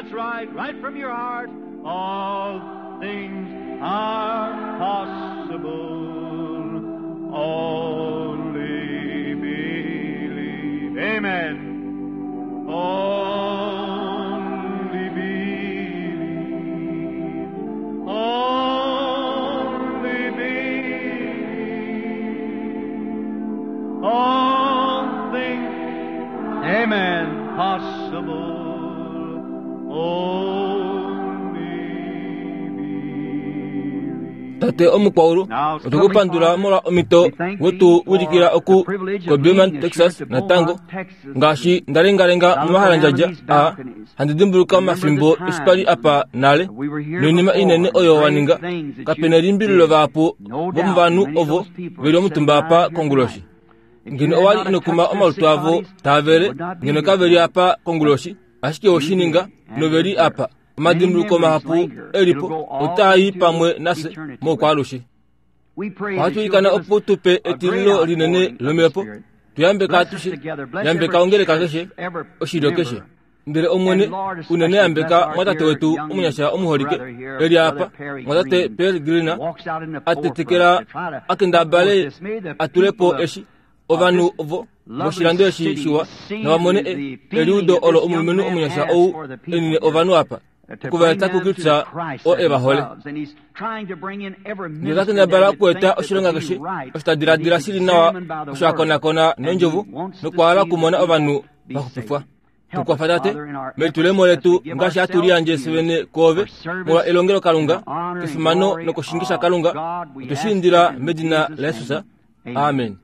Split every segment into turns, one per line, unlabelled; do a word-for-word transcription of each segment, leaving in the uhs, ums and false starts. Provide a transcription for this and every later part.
That's right, right from your heart. All things are possible. Only believe. Amen. Only believe. Only believe. All things, amen, possible. Only believe.
Tate omukwaulu otukupandula molwa omito wetu wilikila oku koBeaumont, Texas natango ngaashi ndalengalenga momahalandjadja a handi dimbuluka omafimbo eshi twali apa nale noinima inene oyo waninga kapena elimbililo vahapu vomovanhu ovo veli omutumba apa konguloshi. Ngeno owali inokuma omalutu avo taavele ngeno kaveli apa konguloshi, ashike oshininga noveli apa. Omadimbuluko mahapu elipo otaa pamwe nafye moukwalushe. Ohatu ilikana opo tupe etililo linene lomhepo, tuyambeka atushe, yambeka ongeleka keshe, oshilyo keshe. Ndele Omwene unene yambeka mwatate wetu omunyasha omuholike eli apa, mwatate Pearl Green atetekela akendabale atulepo eshi ovanhu ovo voshilando eshi shiwa navamone eliudo olo omulumenhu omunyasha ou enine ovanhu apa okuvaeta kuKristus o evahole. Ndele takendabala okueta oshilonga keshe oshitadiladila shili nawa osho akonakona nondjovo nokwahala okumona ovanhu vaxupifwa. Tukwafa Tate melitulemo letu ngaashi hatu liyandje fyene kwoove molwa elongelo Kalunga kefimano nokoshingisha Kalunga, otwe indila medina laJesus. Amen.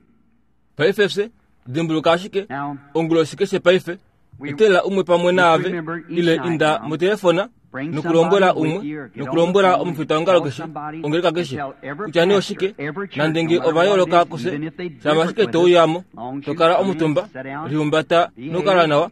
Paife fye dimbuluka ashike onguloshi keshe paife etelela umwe pamwe naave ile inda motelefona nokulombwela umwe nokulombwela omufitaongalo keshe ongeleka keshe kutya nee oshike nande ova yooloka kufye shama ashike touyamo tokala omutumba lihumbata nokukala nawa.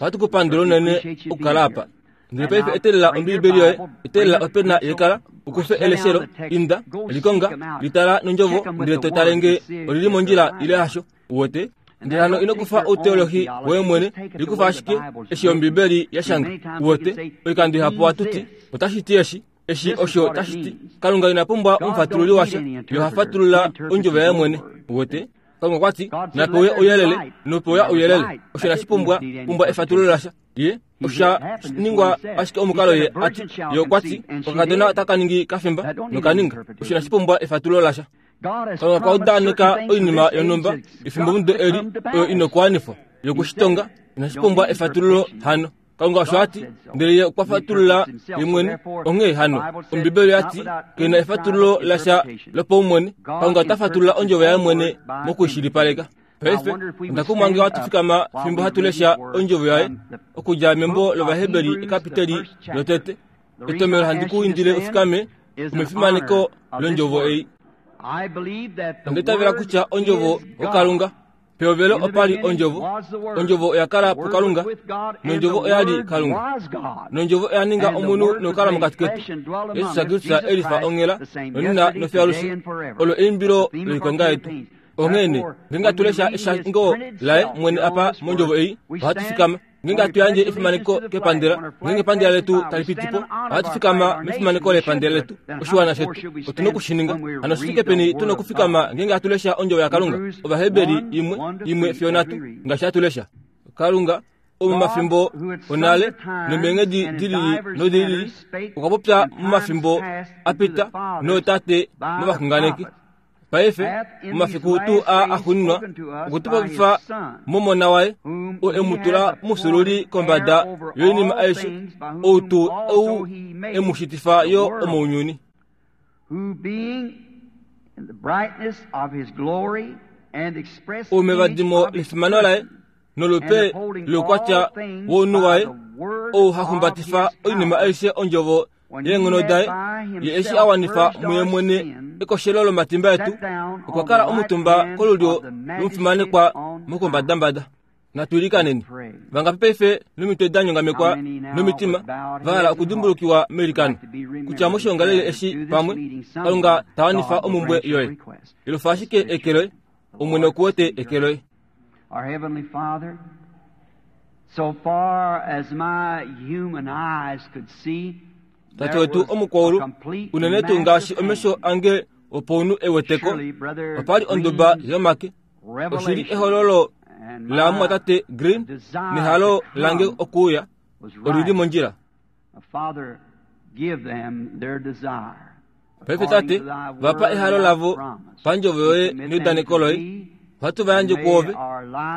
Ohatu kupandula unene okukala apa. Ndele paife etelela Ombiibeli yoye, etelela opena yekala, ukufe eleshelo, inda, likonga, litala nondjovo, ndele totale nge olili mondjila ile hasho. Uwete? Ndele hano ino kufa outeolohi woye mwene, likufa ashike eshi Ombiibeli yashanga. Uwete? Oikando ihapu hatu ti otashi ti eshi, eshi osho tashi ti. Kalunga ina pumbwa omufatululi washa, ye oha fatulula ondjovo yaye mwene. Uwete? Kalunga okwa ti napewe ouyelele, nopewa ouyelele. Osho inashi pumbwa pumbwa efatululo lasha. Ye osha ningwa ashike omukalo ye ati ye okwa ti okakadona otaka ningi kafimba nokaninga. Osho inashi pumbwa efatululo lasha. Kalunga okwa udaneka oinima yonhumba efimbo mudo eli oyo inokuwanifwa yokushitonga inashi pumbwa efatululo hano. Kalunga osho ati ndele ye okwa fatulula ye mwene. Onghee hano Ombiibeli yati kena efatululo lasha lopaumwene. Kalunga ota fatulula ondjovo yaye mwene mokuishilipaleka. Paife onda kumwange hatu fikama fimbo hatu lesha ondjovo yaye okudja membo lOvaheberi ekapiteli lotete. Etomelo handi ku indile ufikame omefimaneko londjovo ei. Onda itavela kutya ondjovo oKalunga. Pehovelo opali ondjovo, ondjovo oya kala puKalunga, nondjovo oya li Kalunga, nondjovo oya ninga omunhu nokukala mokati ketu. Jesus Kristus elifa onghela nonena nofyalushe olo eimbilo loikonga yetu. Onghee ngeenge hatu lesha eshango laye mwene apa mondjovo ei, ohatu fikama. Ngeenge hatu yandje efimaneko kepandela, ngeenge epandela letu tali piti po, ohatu fikama mefimaneko lepandela letu. Oshiwana shetu otuna okushininga. Hano oshifike peni tuna okufikama ngeenge hatu lesha ondjovo yaKalunga? Ovaheberi imwe imwe fiyo nhatu ngaashi hatu lesha. Kalunga omomafimbo onale nomeenghedi dilili nodilili okwa popya momafimbo apita nootate movaxunganeki. Paife momafiku tuu aa axuuninwa okwe tu popifa momona waye, oo e mu tula omufyuululi kombada yoinima aishe, ou tuu ou e mu shitifa yo omounyuni. Ou mevadimo lefimano laye nolupe loukwatya wounhu waye, ou ha humbatifa oinima aishe ondjovo yeenghono daye, ye eshi a wanifa muye mwene ekoshelo lomatimba etu, okwa kala omutumba kolulyo lomufimanekwa mokombadambada. Natu ilikaneni. Vangapi paife nomitwe da nyongamekwa nomitima va hala okudimbulukiwa meilikano kutya moshiongalele eshi pamwe Kalunga ta wanifa omumbwe yoye. Elufa ashike eke loye, Omwene oku wete eke loye. Tate wetu omukwaulu unene tuu ngaashi omesho ange opounu eweteko opali onduba yomake oshili ehololo la tate Green nehalo lange okuuya olili mondjila. Paife tate vapa ehalo lavo pandjovo yoye neudaneko loye ohatu vayandje kwoove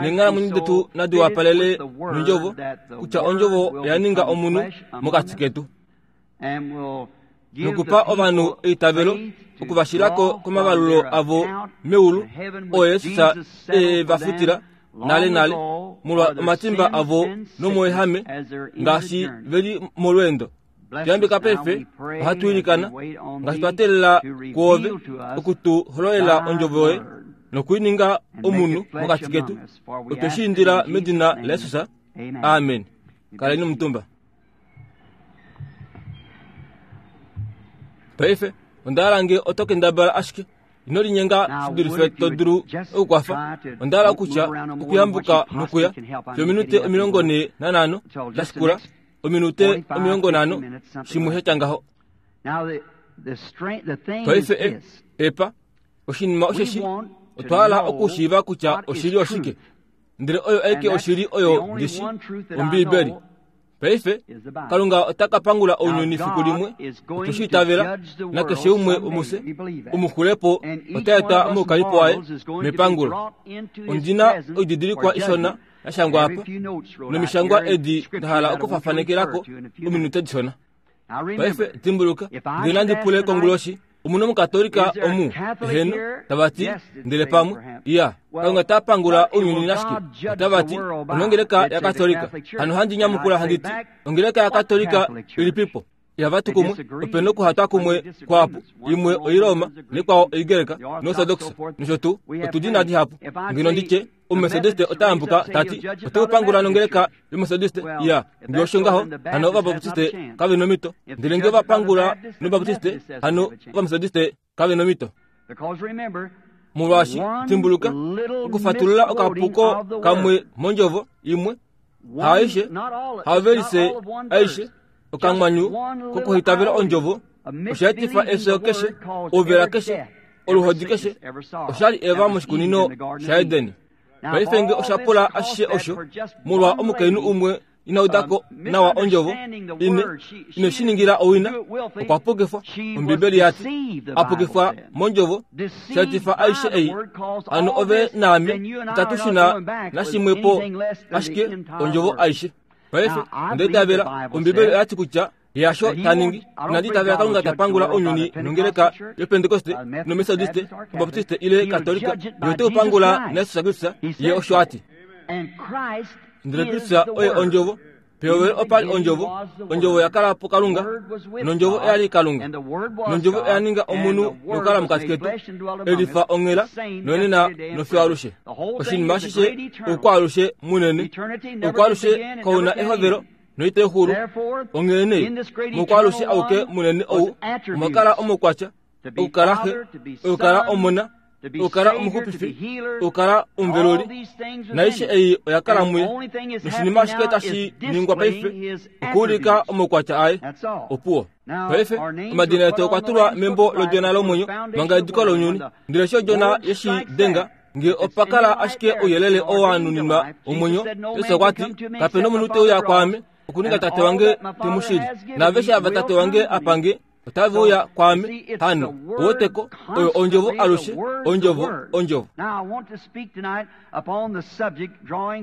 neenghalamwenyo detu nadi wapalele nondjovo kutya ondjovo yaninga omunhu mokati ketu nokupa ovanhu eitavelo okuvashilako komavalulo avo meulu oo Yesus e va futila nale nale molwa omatimba avo nomoehame ngaashi veli molweendo. Tuyambika paife ohatu ilikana ngaashi twa teelela kwoove okutu hololela ondjovo yoye nokuininga omunhu mokati ketu. Otwe shi indila medina laYesus. Amen. Kaleni omutumba. Paife onda hala oto kendabala ashike ino linyenga shi dulife to dulu okukwafa. Onda hala okutya okuyambuka nokuya fyominute omilongo nhee nanhano dashikula ominute omilongo nhano shimwe shatya ngaho. Paife epa oshinima osheshi otwa hala okushiiva kutya oshili oshike, ndele oyo aike oshili oyo ndishi Ombiibeli. Paife Kalunga ota ka pangula ounyuni fiku limwe otweshi itavela nakeshe umwe womufye omuxulepo ota etwa moukalipo waye mepangulo. Ondina oididilikwa ishona yashangwa apa nomishangwa edi nda hala okufafanekelako ominute dishona. Paife dimbuluka ndele nandi pule konguloshi omuna omukatolika omu eheno tavati ndele pamwe iya Kalunga ta pangula ounyuni nashike otavati onongeleka yakatolika hano handi nyamukula handiti ongeleka yakatolika ilipipo ihavati kumwe opena okuhatwa kumwe kwapo imwe oiroma nekwao oigereka noorthodox nosho tuu otudi dihapu ngeno nditye omumethodiste otayambuka tati oteupangula nongeleka yomethodiste iya nge osho ngaho hano ovabaptiste kave nomito ndele nge vapangula nobaptiste hano ovamethodiste kave nomito. Molwaashi dimbuluka okufatulula okapuko kamwe mondjovo imwe haaishe haavelise aishe okamwanyu kokuhitavela ondjovo oshaetifa efyo keshe ouvela keshe oluhodi keshe oshali Eva moshikunino shaEdeni. Paife nge oshapula ashishe osho molwa omukainhu umwe inaudako nawa ondjovo ine ine shiningila owina okwa pukifwa. Ombibeli yati apukifwa mondjovo shaetifa aishe ei hano ove naame itatu shuna nashimwepo ashike ondjovo aishe. Paife ondaitavela Ombibeli oyati kutya yasho taningi inanditavela Kalunga tapangula ounyuni nongeleka yopentekoste nomethodiste obaptiste ile katolika yote upangula naYesus Kristus ye osho ati. Ndele Kristus oye ondjovo pehovelo opali ondjovo ondjovo yakala po Kalunga nondjovo oyali Kalunga nondjovo oyaninga omunhu nokukala mokati ketu elifa onghela nonena nofiyo alushe. Oshinima ashishe oukwaalushe munene oukwaalushe kauna ehovelo noitexulu onghene mokwaalushe auke munene ou omwakala omokwatya okukala xe okukala omona okukala omuxupifi okukala omuveluli naishe ei oyakala muye noshinima ashike tashi ningwa paife okuulika omaukwatya aye opuwo. Paife omadina etu okwa tulwa membo lodjona lomwenyo manga ediko lounyuni ndele sho odjona yeshi denga nge opakala ashike ouyelele oo wanuninwa omwenyo. Yesu okwa ti kapena omunhu teuya kwaame okuninga tate wange temushili naaveshe ava tate wange apange otave uya kwaame. Hano oweteko oyo ondjovo alushe ondjovo ondjovo.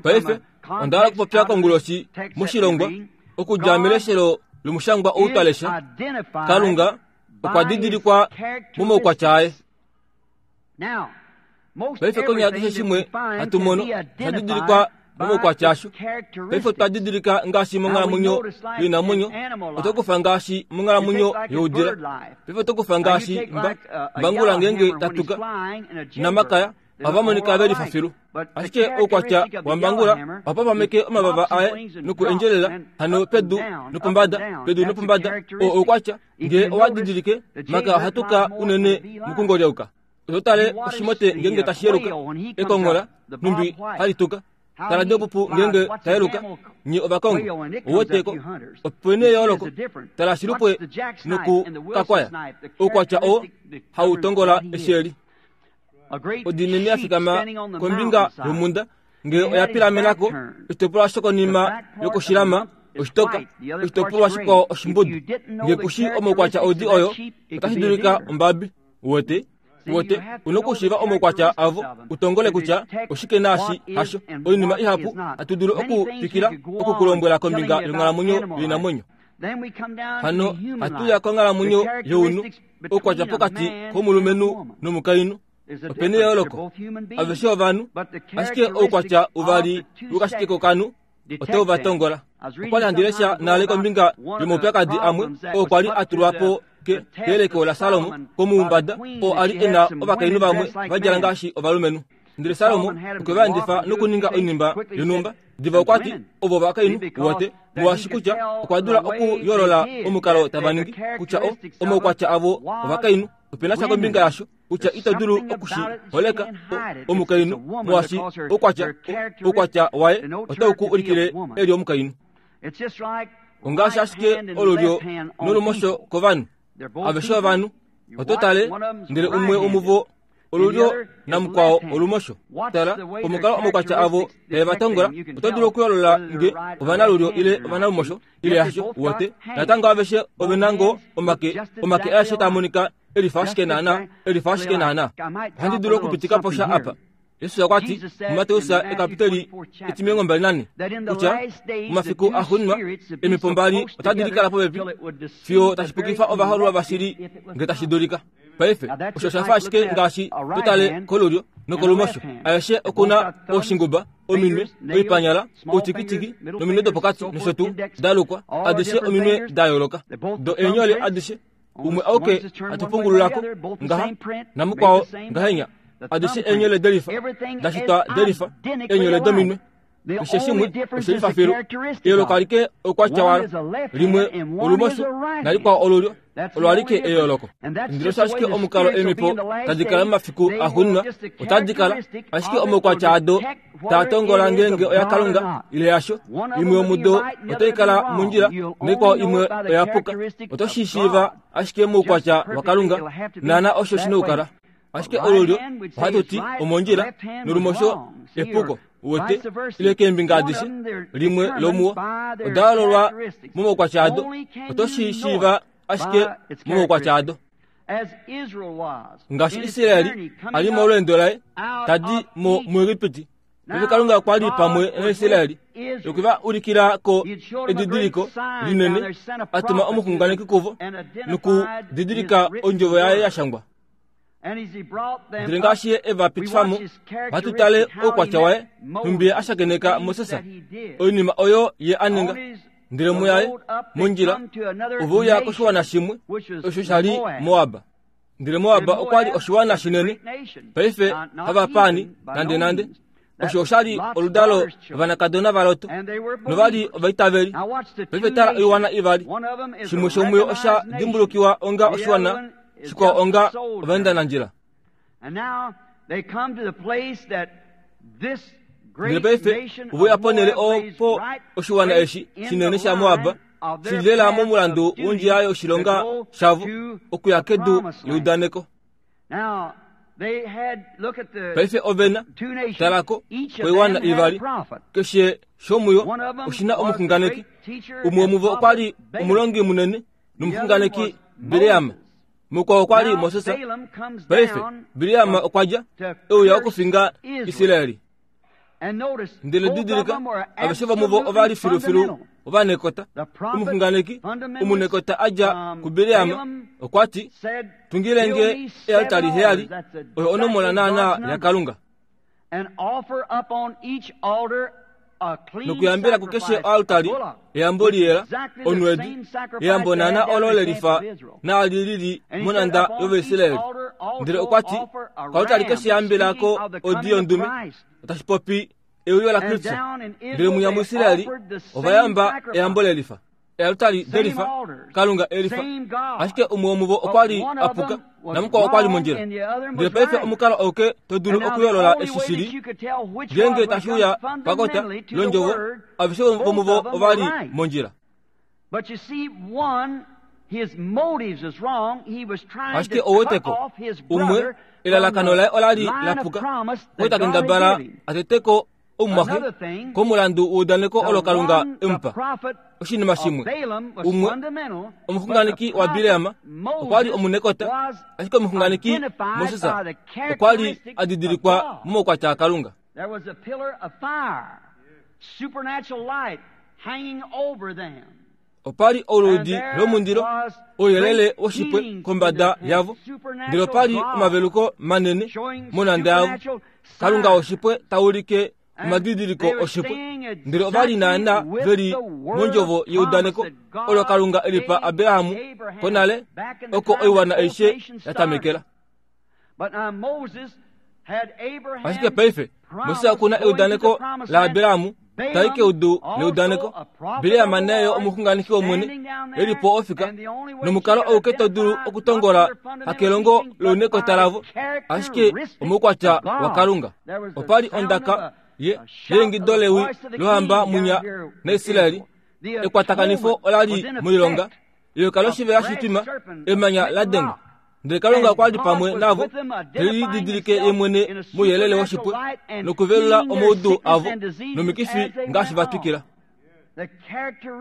Paife onda hala okupopya konguloshi moshilongwa okudja meleshelo lomushangwa ou twalesha. Kalunga okwa didilikwa momaukwatya aye. Paife konyala keshe shimwe hatu mono osha didilikwa momaukwatya asho. Paife otwa didilika ngaashi monghalamwenyo yoinamwenyo otokufa ngaashi monghalamwenyo youdila. Paife otokufa ngaashi mba mbangula ngenge tatuka namakaya ohava monika velifa filu ashike oukwatya wambangula ohapapameke omavava aye nokuendjelela hano pedu nopombada pedu nopombada oo oukwatya nge owa didilike maka ohatuka unene mukungolyauka. Ototale oshimote ngenge tashi yeluka ekonghola numbi halituka Tala dopupu ngenge tayeluka nye ovakongo oweteko opene eyooloko tala shilupwe noku kakwaya oukwatya oo hautongola esheli. Odinene yafikama kombinga yomunda ngee oya pilamenako oshitopolwa shokonima yokoshilama oshitoka oshitopolwa shikwao oshimbudu. Ngee kushi omaukwatya odi oyo otashi dulika ombabi. Uwete uwete unokushiiva omaukwatya avo utongole kutya oshike naashi hasho. Oinima ihapu hatu dulu okutwikila okukulombwela kombinga yonghalamwenyo yoinamwenyo. Hano hatuya konghalamwenyo younhu oukwatya pokati komulumenhu nomukainhu. Opena eyooloko aveshe ovanhu, ashike oukwatya uvali wokashike kokanhu otau va tongola. Okwali handi lesha nale kombinga yomaupyakadi amwe oo kwali a tulwa po keyeleko laSalomo komuumbada oo ali e na ovakainhu vamwe va djala ngaashi ovalumenhu. Ndele Salomo okwe va endifa nokuninga oinima yonhumba. Diva okwa ti ovo ovakainhu uwete molwaashi kutya okwa dula okuyoolola omukalo tava ningi kutya o omaukwatya avo ovakainhu. Opena sha kombinga yasho kutya ito dulu okushiholeka omukainhu molwaashi oukwatya oukwatya waye otau ku ulikile eli omukainhu. Ongaashi ashike olulyo nolumosho kovanhu aveshe ovanhu oto tale ndele umwe womuvo olulyo namukwao olumosho. Tala omukalo omaukwatya avo tave va tongola oto dulu okuyoolola nge ovanalulyo ile ovanalumosho ile hasho. Uwete natango aveshe ovena ngoo omake omake aeshe taa monika elifa ashike naana elifa ashike naana. Ohandi dulu okupitika po sha apa. Yesus okwa ti muMateus ekapiteli etimilongo mbali nane kutya momafiku axuuninwa emipo mbali otadi likala popepi fiyo tashi pukifa ovahoololwa vashili nge tashi dulika. Paife osho osha fa ashike ngaashi totale kolulyo nokolumosho. Aeshe okuna oshinguba, ominwe, oipanyala, outikitiki nominwe dopokati nosho tuu dalukwa adishe ominwe da yooloka. Do eenyole adishe umwe auke atupungululako ngaha namukwao ngahenya. Adishe eenyole delifa dashitwa delifa eenyole dominwe. Keshe shimwe oshelifa filu. Eyooloko alike oukwatya walo limwe olumosho nalikwao olulyo olo alike eyooloko. Ndele osho ashike omukalo eemipo tadi kala momafiku axuuninwa otadi kala ashike omaukwatya ado taa tongola ngeenge oya Kalunga ile yasho. Imwe yomudo otai kala mondjila naikwao imwe oya puka. Oto shi shiiva ashike moukwatya waKalunga naana osho shina okukala. Ashike olulyo ohatu ti omondjila nolumosho epuko. Uwete ile keembinga adishe limwe lomuwo oda yoololwa momaukwatya ado. Oto shi shiiva ashike momaukwatya ado. Ngaashi Israeli ali molweendo laye tadi mo muEgipiti, paife Kalunga okwa li pamwe naIsraeli okwe va ulikila ko edidiliko linene, a tuma omuxunganeki kuvo nokudidilika ondjovo yaye ya shangwa. Ndele ngaashi ye e va pitifa mo, ohatu tale oukwatya waye nhumbi ye a shakeneka Moses, oinima oyo ye a ninga. Ndele muyaye mondjila ove uya koshiwana shimwe osho sha li Moab. Ndele Moab okwa li oshiwana shinene, paife havapaani nande nande. Osho osha li oludalo lovanakadona vaLot novali ovaitaveli. Paife tala oiwana ivali, shimwe shomuyo osha dimbulukiwa onga oshiwana, shikwao onga ovaendanandjila. Ndele paife ove uya ponhele opo oshiwana eshi shinene shaMoab shili lela momulandu wondjila yoshilonga shavo okuya kedu leudaneko. Paife ovena talako koiwana ivali, keshe shomuyo oshina omuxunganeki. Umwe womuvo okwa li omulongi munene nomuxunganeki Bileam, mukwao okwa li Moses. Paife Bileam okwa dja e uya okufinga Israeli. Ndele didilika aveshe vomuvo ova li filufilu ovanekota. Omuxunganeki omunekota a dja kuBileam okwa ti, tungilenge ealtari heyali, oyo onomola naana yaKalunga, nokuyambela kukeshe oaltari eyambo liyela onwedi, eyambo naana olo lelifa naali lili monanda yOvaisraeli. Ndele okwa ti koaltari keshe yambelako odi yondume, otashi popi euyo laKristo. Ndele munya muIsraeli ova yamba eyambo lelifa. Ealtari delifa Kalunga elifa ashike umwe womuvo okwa li apuka namukwao okwa li mondjila. Ndele paife omukalo auke to dulu okuyoolola eshi shili ngeenge tashi uya pakota londjovo aveshe vomuvo ova li mondjila. Ashike ouweteko umwe elalakano laye ola li lapuka ota kendabala ateteko omumwaxe komulandu weudaneko olo Kalunga emupa. Oshinima shimwe umwe omuxunganeki wa Bileam okwa li omunekota, ashike omuxunganeki Moses okwa li adidilikwa momaukwatya aKalunga. Opa li oludi lomundilo ouyelele woshipwe kombada yavo, ndele opa li omaveluko manene monhanda yavo. Kalunga woshipwe taulike omadidiliko oshipwe, ndele ova li naana veli mondjovo yeudaneko olo Kalunga elipa Abraham konale oko oiwana aishe yatamekela. Ashike paife Moses okuna eudaneko la Abraham tai keudu leudaneko. Bileam naye omuxunganeki wOmwene elipo ofika nomukalo ouke to dulu okutongola hakelongo lounekota lavo, ashike omoukwatya waKalunga. Opa li ondaka ye yeingido lewi lohamba munya naIsraeli. Ekwatakanifo ola li moilonga eyoka loshivela shitwima emanya la denga, ndele Kalunga okwa li pamwe navo telididilike ye mwene mouyelele woshipwe nokuvelula omaudu avo nomikifi ngaashi va twikila.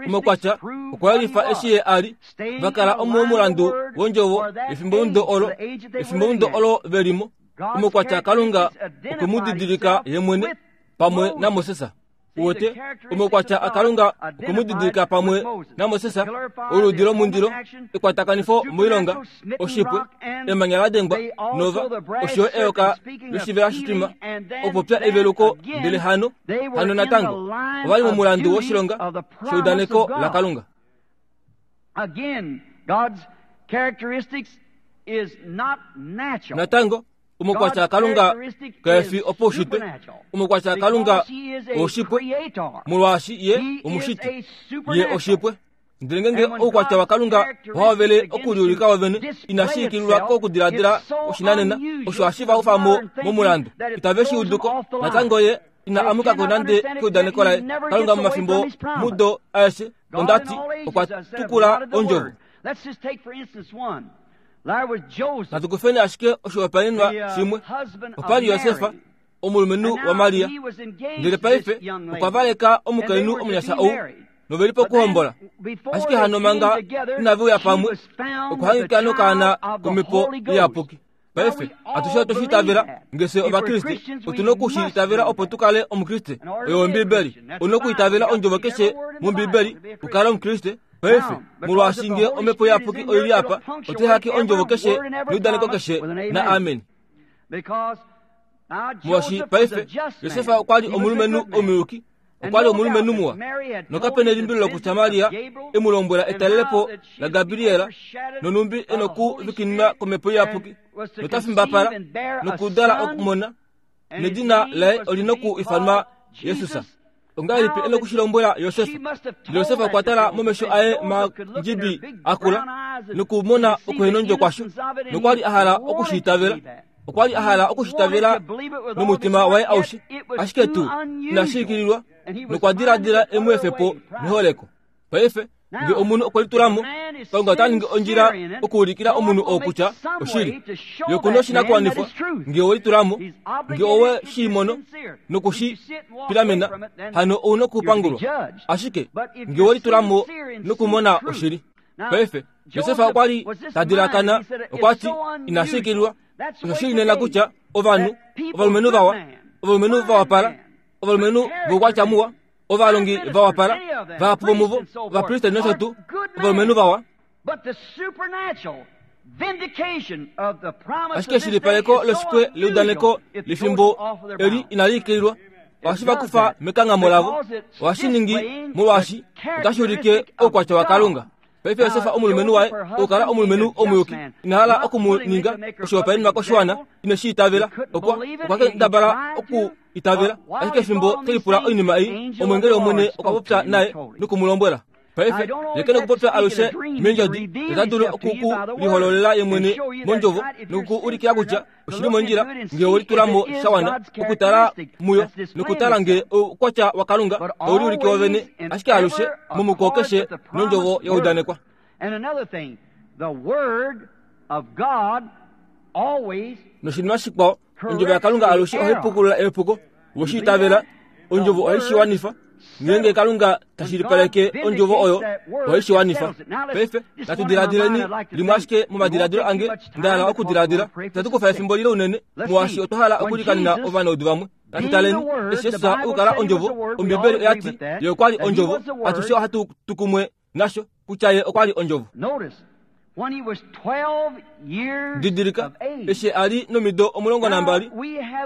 Omaukwatya okwa yelifa eshi ye a li va kala omomulandu wondjovo efimbomudo olo efimbomudo olo velimo. Omaukwatya Kalunga okwe mu didilika ye mwene pamwe naMoses. Uwete omaukwatya aKalunga okwe mu didilika pamwe naMoses, oludi lomundilo, ekwatakanifo moilonga, oshipwe, emanya la dengwa nova osho eyoka loshivela shitwima, okupopya eveluko. Ndele hano hano natango ova li momulandu woshilonga sheudaneko laKalunga. Natango omaukwatya aKalunga kaefi opaushitwe. Omaukwatya aKalunga oshipwe molwaashi ye omushiti, ye oshipwe. Ndele ngenge oukwatya waKalunga ohaovele okuliulika wovene inashi ikililwa kokudiladila oshinanena, osho hashi va ufamo momulandu itave shi uduko. Natango ye ina amukako nande keudaneko laye. Kalunga momafimbo mudo aeshe ondati okwa tukula ondjovo. Natukufeni ashike oshihopaenenwa shimwe. Opa li Yosefa omulumenhu waMaria, ndele paife okwa valeka omukainhu omunyasha ou noveli pokuhombola. Ashike hano manga inave uya pamwe okuhangika nokaana komhepo iyapuki. Paife atushe otwe shiitavela ngese Ovakriste otuna okushiitavela opo tukale Omukriste. Oyo Ombibeli, una okuitavela ondjovo keshe mOmbibeli ukale Omukriste. Paife molwaashi nge omhepo iyapuki oili apa, otehake ondjovo keshe neudaneko keshe na amen. Molwaashi paife Yosefa okwa li omulumenhu omuyuki, okwa li omulumenhu muwa, nokapena elimbilo kutya Maria emu lombwela etalelepo la Gabriela nonumbi enokuvikinwa komhepo iyapuki notafimbapala nokudala okumona, nedina laye olina okuifanwa Jesus. Ongahelipi enokushilombwela Yosefa? Yosefa okwa tala momesho aye mandjibi akula nokumona okuhenondjo kwasho, nokwa li a hala okushiitavela. Okwa li a hala okushitavela nomutima waye aushe, ashike tuu inashi ikililwa, nokwa diladila emu efepo neholeko. Paife nge omunhu okwe litulamo, Kalunga ota ningi ondjila okuulikila omunhu oo kutya oshili ye okuna oshinakuwanifwa. Nge owe litulamo, nge owe shi mono nokushi pilamena, hano ouna okupangulwa. Ashike nge owe litulamo nokumona oshili. Paife Josefa okwa li ta dilakana, okwa ti inashi ikililwa. Osho shili nena kutya ovanhu ovalumenhu vawa, ovalumenhu vawapala, ovalumenhu voukwatya muwa, ovalongi vawapala, vahapu vomuvo, ovapristeri nosho tuu, ovalumenhu vawa. Ashike eshilipaleko loshipwe leudaneko lefimbo eli inali ikililwa, ohashi va kufa mekanghamo lavo, ohashi ningi molwaashi otashi ulike oukwatya waKalunga. Paife Yosefa omulumenhu waye okukala omulumenhu omuyuki, ina hala okumuninga oshihopaenenwa koshiwana, ine shi itavela. Okwa okwa kendabala oku itavela, ashike efimbo telipula oinima ei, omwengeli wOmwene okwa popya naye nokumulombwela. Paife ye kena okupopya alushe meendjodi, ota dulu oku ku lihololela ye mwene mondjovo noku ku ulikila kutya oshili mondjila ngee welitula mo sha wana okutala muyo nokutala ngee oukwatya waKalunga tau liulike wovene, ashike alushe momuko keshe nondjovo ya udanekwa. Noshinima shikwao, ondjovo yaKalunga alushe ohai pukulula epuko. Weshi itavela, ondjovo ohai shi wanifa. Ngeenge Kalunga tashilipaleke ondjovo oyo, ohai shi wanifa. Paife natu diladileni limwe ashike momadiladilo ange nda hala okudiladila. Itatu kufa efimbo lile unene, molwaashi otwa hala okulikanena ovanaudu vamwe. Natu taleni eshi Jesus okukala ondjovo. Ombibeli oya ti ye okwa li ondjovo. Atushe ohatu tu kumwe nasho kutya ye okwa li ondjovo. Didilika, eshi a li nomido omulongo nambali,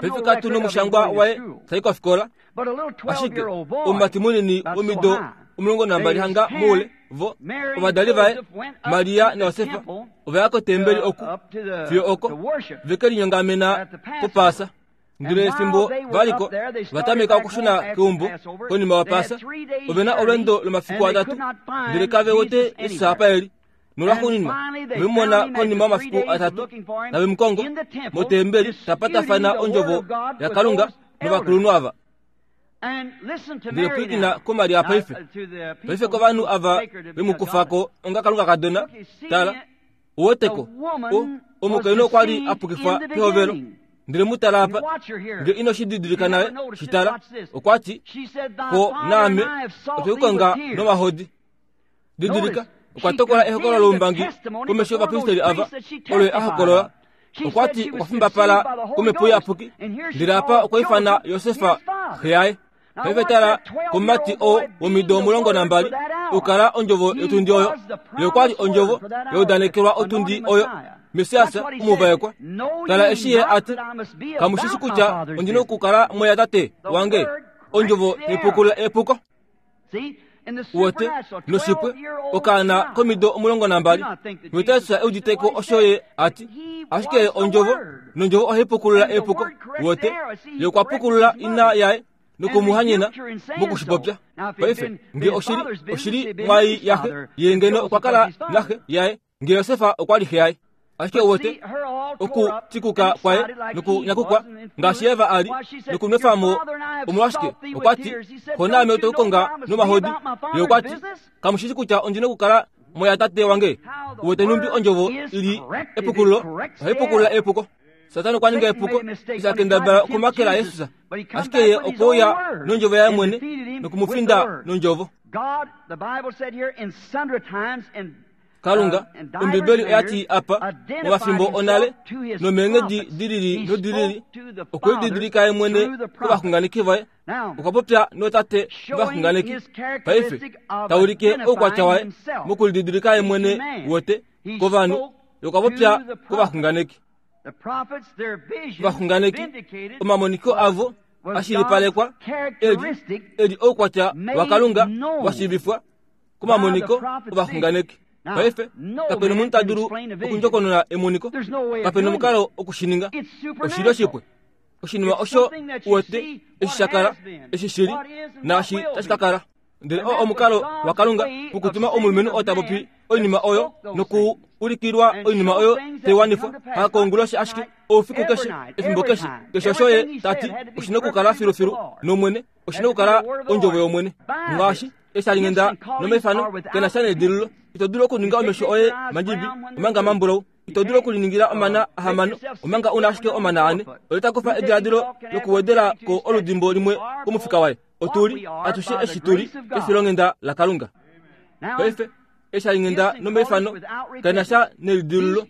paife katu nomushangwa waye tai kofikola, ashike omumati munini womido omulongo nambali hanga moule, vo ovadali vaye Maria naJosefa ova ya kotembeli oku fiyo oko veke linyongamena popaasa. Ndele efimbo valiko vatameka okushuna keumbo konima wapaasa, ove na olweendo lomafiku atatu, ndele kave wete Jesus apa eli. Nolwaxuuninwa vemumona konima yomafiku atatu tavemukongo motembeli tapatafana ondjovo yaKalunga novakulunhu ava. Ndele pwilikina kuMaria paife. Paife kovanhu ava vemukufako onga Kalunga kadona, tala, uweteko, omukainhu okwa li a pukifwa pehovelo. Ndele mutala apa, nge ino shi didilika naye, shi tala, okwa ti, ko naame otwekukonga nomahodi. Didilika, okwa tokola ehokololo loumbangi komesho yovapristeli ava, olo a hokolola. Okwa ti okwa fimbapala komhepo iyapuki, ndele apa okwa ifana Josefa xe yaye. Paife tala komumati oo womido omulongo nambali okukala ondjovo yotundi oyo. Ye okwa li ondjovo ya udanekelwa otundi oyo, Messias omuvaekwa. Tala eshi ye a ti, kamu shi shi kutya ondi na okukala moya tate wange? Ondjovo tai epuko. Uwete noshipwe okaana komido omulongo nambali Messias euditeko osho ye a ti, ashike ondjovo nondjovo ohai pukulula epuko. Uwete ye okwa pukulula ina yaye nokumuhanyena mokushipopya. Paife nge oshili oshili mwai yaxe, ye ngeno okwa kala naxe yaye, nge Josefa okwa li xe yaye. Ashike uwete okutikuka kwaye nokunyakukwa ngaashi Eva a li nokunwefamo omolwashike okwa ti, xo naame otwekukonga nomahodi. Ye okwa ti, kamu shi shi kutya ondi na okukala moya tate wange? Uwete numbi ondjovo ili epukululo ohai pukulula epuko. Satana okwa ninga epuko eshi a kendabala okumakela Jesus, ashike ye okwe uya nondjovo yaye mwene nokumufinda nondjovo. Kalunga, Ombibeli oya ti apa momafimbo onale nomeenghedi dilili nodilili okwe lididilika ye mwene kovaxunganeki vaye. Okwa popya nootate vovaxunganeki. Paife taulike oukwatya waye mokulididilika ye mwene wote kovanhu, okwa popya kovaxunganeki. Ovaxunganeki omamoniko avo ashilipalekwa eli eli oukwatya waKalunga wa shiivifwa komamoniko ovaxunganeki. Paife kapena omunhu ta dulu okundjokonona emoniko, kapena omukalo okushininga. Oshili oshipwe, oshinima osho uwete eshi sha kala, eshi shili, naashi tashi ka kala. Ndele oo omukalo waKalunga wokutuma omulumenhu oo ta popi oinima oyo noku ulikilwa oinima oyo tai wanifwa hakoonguloshi ashike, oufiku keshe, efimbo keshe, keshe osho ye ta ti oshina okukala filufilu nomwene, oshina okukala ondjovo yomwene. Ngaashi eshi tali ngenda nomeifano kena sha nedililo, ito dulu okuninga omesho oye mandjibi omanga mambulau, ito dulu okuliningila omana ahamano omanga una ashike omana ane. Oye ta kufa ediladilo lokuwedela ko oludimbo limwe komufika waye. Otuli atushe eshi tuli kefilonghenda laKalunga. Paife eshi hali ngenda nomeifano kena sha nelidililo.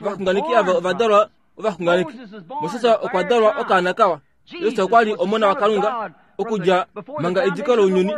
Ovaxunganeki ava ova dalwa ovaxunganeki. Moses okwa dalwa okaana kawa. Jesus okwa li omona waKalunga okudja manga ediko lounyuni,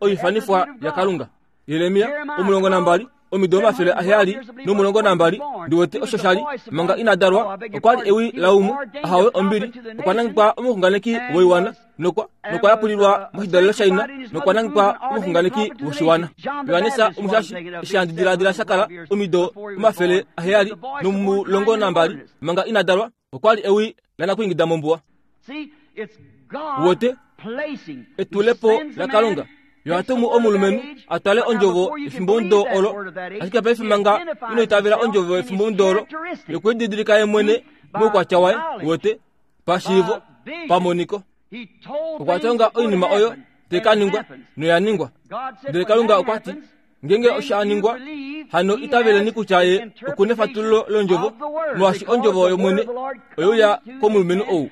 oifanifwa yaKalunga. Jeremia omulongo nambali omido omafele aheyali nomulongo nambali ndiwete osho shali manga ina dalwa, okwa li ewi laumwe ahawe ombili, okwa nangekwa omuxunganeki woiwana nokwa nokwa yapulilwa moshidalelo shaina nokwa nangekwa omuxunganeki woshiwana. Johannes omushashi eshi handi diladila sha kala omido omafele aheyali nomulongo nambali manga ina dalwa, okwa li ewi lanakuingida mombuwa. Uwete etulepo laKalunga Yo atumu omulumenhu atwale ondjovo efimbo ndo olo, ashike paife manga ino itavela ondjovo efimbo ndo olo, yokwididilika ye mwene moukwatya waye wote pashiivo pamoniko. Okwa tonga oinima oyo tekaningwa noyaningwa. Ndele Kalunga okwa ti ngenge oshaningwa hano itaveleni kutya ye okuna efatululo londjovo, molwaashi ondjovo yomwene oyeuya komulumenhu ou.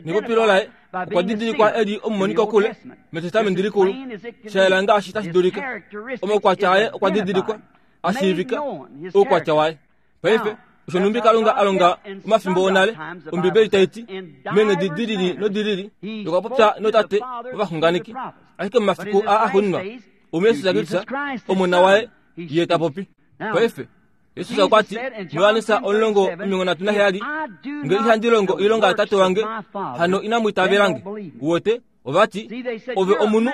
Nepopilo laye okwa didilikwa eli omumoniko kule metestamenti likulu, shayela ngaashi tashi dulika. Omaukwatya aye okwa didilikwa ashiivika oukwatya waye. Paife osho numbi Kalunga alonga omafimbo onale, Ombibeli tai ti meenghedi dilili nodilili okwa popya notate ovaxunganeki, ashike momafiku aa axuuninwa omuYesus Kristus omona waye ye ta popi. Paife Yesus okwa ti muYohannes omulongo omilongo nhatu naheyali, nge ihandi longo oilonga yatate wange, hano inamu itavelange. Wote ovati ove omunhu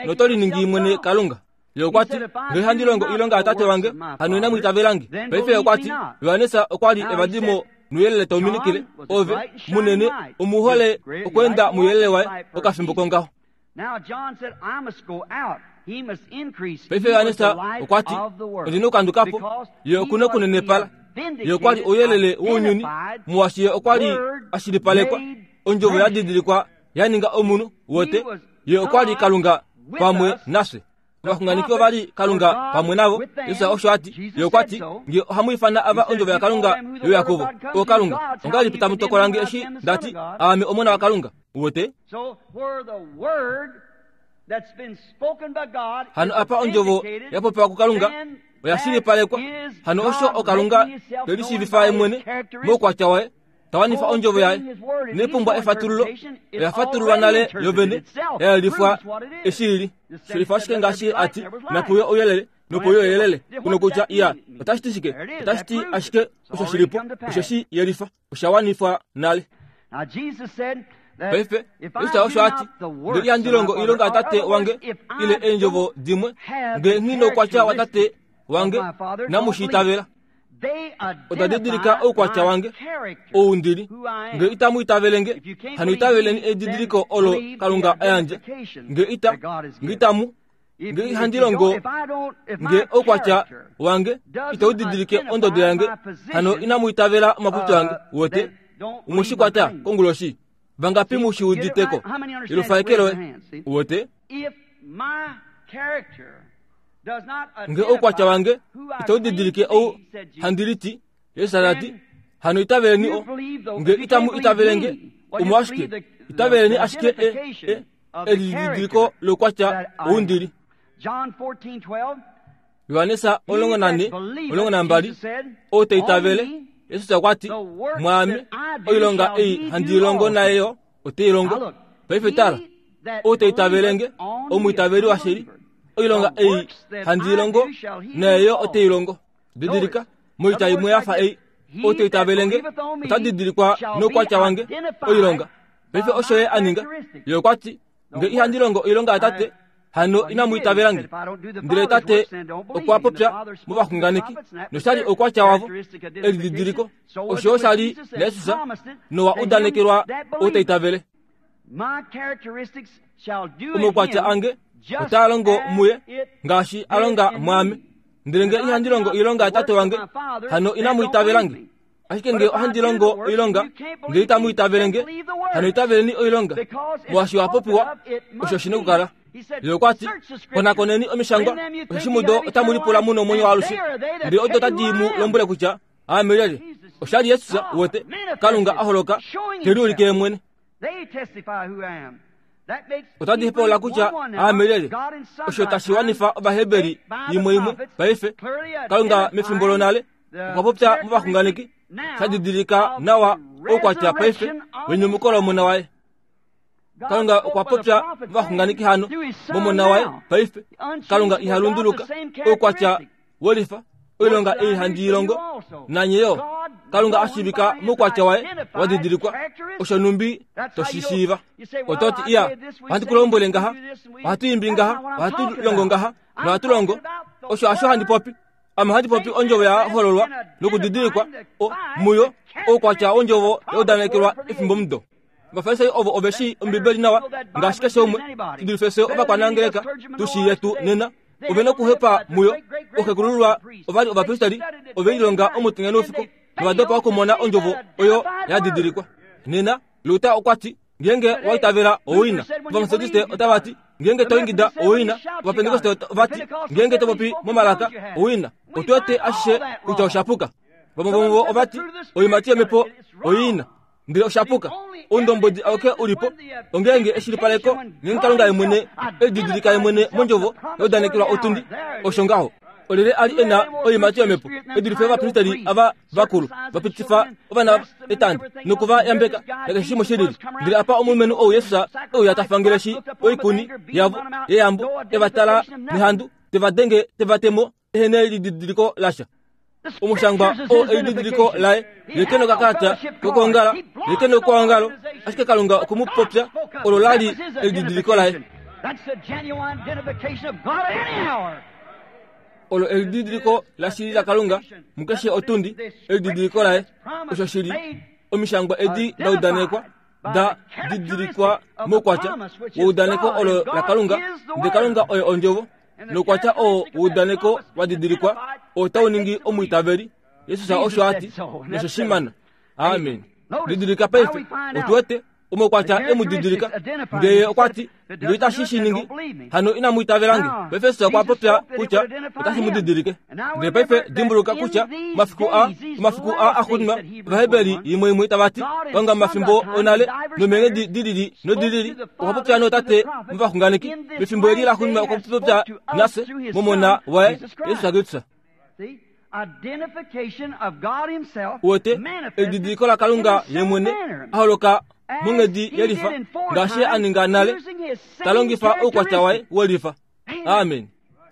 noto liningi mwene Kalunga. Ye okwa ti nge ihandi longo oilonga yatate wange, hano inamu itavelange. Paife okwa ti Yohannes okwa li evadimo nuyelele tauminikile, ove munene omuhole okweenda muyelele waye okafimbo kongaho. Paife Yohannes okwa ti ondina okukandukapo, ye okuna okunenepala. Ye okwa li ouyelele wounyuni, molwaashi ye okwa li ashilipalekwa, ondjovo ya didilikwa ya ninga omunhu wote. Ye okwa li Kalunga pamwe nafye. Ovaxunganeki ova li Kalunga pamwe navo. Yesus osho a ti. Ye okwa ti nge ohamu ifana ava ondjovo yaKalunga yeuya kuvo, o Kalunga, ongahelipi tamu tokola nge eshi ndati aame omona waKalunga? Wote hano apa ondjovo ya popiwa kuKalunga oya shilipalekwa. Hano osho oKalunga telishiivifa ye mwene moukwatya waye, tawanifa ondjovo yaye. Nepumbwa efatululo, oya fatululwa nale yovene, ya yelifwa eshi ili. Shelifa ashike ngaashi ati napuye ouyelele nopuye ouyelele. Kuno kutya iya otashi ti shike? Otashi ti ashike osho shilipo, osho shi yelifa, osha wanifwa nale. Paife Yesus osho a ti nge ihandi longo oilonga yatate wange ile eendjovo dimwe, nge nghi noukwatya watate wange, namushi itavela. Oda didilika oukwatya wange ou ndili. Nge itamu itavelenge, hano itaveleni edidiliko olo Kalunga a yandja. Nge ita nge itamu nge ihandi longo nge oukwatya wange itau didilike ondodo yange, hano inamu itavela omapopyo ange. Wote omushikwata konguloshi vangapi mushiuditeko ilufaekelo wote nge oukwatya wange itau didilike ou handiliti. Yesus ati hano itaveleni o nge itamu itavelenge omwashike itaveleni ashike e elididiliko loukwatya oundili. Yohannes omulongo nane omulongo nambali ou teitavele. Yesus okwa ti mwaame oilonga ei handi longo nayo oteilongo. Paife tala, ou teitavelenge omwiitaveli washili, oilonga ei handi longo nayo oteilongo. Didilika moita imwe yafa ei, ou teitavelenge ota didilikwa noukwatya wange oilonga. Paife osho ye a ninga. Ye okwa ti nge ihandi longo oilonga yatate, hano inamu itavelange. Ndele tate okwa popya movaxunganeki, noshali oukwatya wavo elididiliko. Osho oshali naYesus nowa udanekelwa ou teitavele. Omaukwatya ange otaa longo muye ngaashi a longa mwaame. Ndele nge ihandi longo oilonga yatate wange, hano inamu itavelange. Ashike nge ohandi longo oilonga, nge itamu itavelenge, hano itaveleni oilonga. Molwaashi wa popiwa, osho shina okukala. Ye okwa ti konakoneni omishangwa, osheshi mudo otamu lipula mu nomwenyo waalushe, ndele odo tadi mu lombwele kutya aame lyelye. Oshali Yesus wote Kalunga a holoka teliulike ye mwene. Otadi hepolola kutya aame lyelye. Osho tashi wanifa Ovaheberi imwe imwe. Paife Kalunga mefimbo lonale okwa popya movaxunganeki, sha didilika nawa oukwatya paife wenyumuko lomona waye. Kalunga okwa popya movaxunganeki hano momona waye paife. Kalunga iha lunduluka, oukwatya welifa oilonga ei handi ilongo nanye yo. Kalunga ashivika moukwatya waye wa didilikwa, osho numbi toshishiiva. Ototi iya ohandi kulombwele ngaha, ohatu imbi ngaha, ohatu longo ngaha, nohatu longo. Osho asho handi popi. Ame handi popi ondjovo ya hololwa nokudidilikwa muyo oukwatya wondjovo ya udanekelwa efimbo mudo. Ovafarisai ovo ove shii Ombibeli nawa ngaashi keshe umwe shi dulife ovakwanangeleka tu shii yetu nena. Ove nokuhepa muyo. Oxekulululwa ovali ovapristeri ove lilonga omutenya noufiku novadopa okumona ondjovo oyo ya didilikwa. Nena Luther okwa ti ngeenge wa itavela owina. Ovametodiste otava ti ngeenge to ingida owina. Ovapentekoste ovati ngeenge to popi momalaka owina. Otu wete ashishe kutya oshapuka. Vamwe vomuvo ovati oiimati yomhepo oiina, ndele oshapuka. Oundombwedi auke ulipo ongeenge eshilipaleko ngeenge Kalunga ye mwene elididilika ye mwene mondjovo yaudanekelwa otundi. Osho ngaho. Olyelye a li e na oiimati yomhepo e dulife ovapristeri ava vakulu vapitifa ovana etanda nokuva yambeka nakeshe shimwe shilili. Ndele apa omulumenhu ou Jesus e uya ta fangeleshi oikuni yavo yeyambo, e va tala nehandu, te va denge, te va temo, ehe nelididiliko lasha. Omushangwa oo elididiliko laye, ye ke nokakalata kokwoongala, ye ke nokwoongalo, ashike Kalunga okwe mu popya, olo la li elididiliko laye. Olo elididiliko lashili laKalunga mukeshe otundi, elididiliko laye. Osho shili omishangwa edi da udanekwa, da didilikwa moukwatya woudaneko olo laKalunga, ndele Kalunga oye ondjovo. Noukwatya oo woudaneko wa didilikwa otau ningi omwiitaveli. Jesus osho a ti, nosho shimana. Amen. Didilika paife, otu wete omaukwatya e mu didilika. Ndele okwa ti, ndele itashi shi ningi, hano inamu itavelange. Paife Jesus okwa popya kutya otashi mu didilike. Ndele paife dimbuluka kutya omafiku a omafiku a axuuninwa Ovaheberi imwe imwe tava ti Kalunga mafimbo onale nomeenghedi dilili nodilili okwa popya nootate movaxunganeki. Mefimbo eli laxuuninwa okwa popya nafye momona waye Jesus Kristus. Uwete elididiliko laKalunga ye mwene a holoka monghedi yelifa ngaashi a ninga nale, ta longifa oukwatya waye welifa. Amen.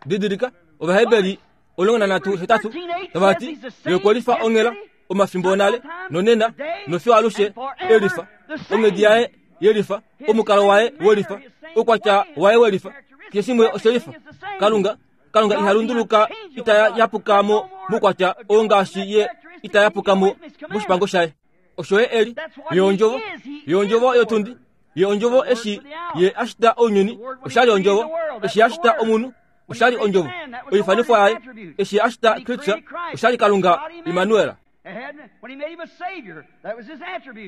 Didilika Ovaheberi omulongo nanhatu hetatu tava ti ye okwe lifa onghela omafimbo onale nonena nofiyo alushe elifa. Onghedi yaye yelifa, omukalo waye welifa, oukwatya waye welifa, keshe shimwe oshelifa. Kalunga Kalunga iha lunduluka, ita yapuka mo moukwatya oo ngaashi ye ita yapuka mo moshipango shaye. Osho ye eli, ye ondjovo, ye ondjovo yotundi, ye ondjovo eshi ye a shita ounyuni, oshali ondjovo, eshi a shita omunhu, oshali ondjovo, oifanifwa yaye, eshi a shita Kristus, oshali Kalunga Immanuel.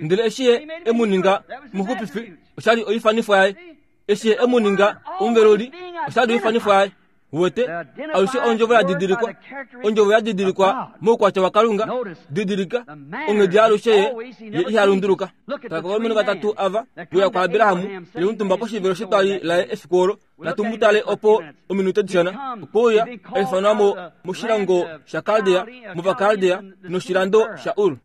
Ndele eshi ye e mu ninga omuxupifi, oshali oifanifwa yaye, eshi ye e mu ninga omuveluli, oshali oifanifwa yaye. Uwete, alushe ondjovo ya didilikwa, ondjovo ya didilikwa moukwatya waKalunga. Didilika onghedi alushe ye ye iha lunduluka. Tala kovalumenhu vatatu ava uya kwaAbraham ye omutumba poshivelo shetwali laye efiku olo. Natu mu tale opo ominute dishona. Okwe uya a ifanwa mo moshilongo shaKaldea, mOvakaldea noshilando shaUr.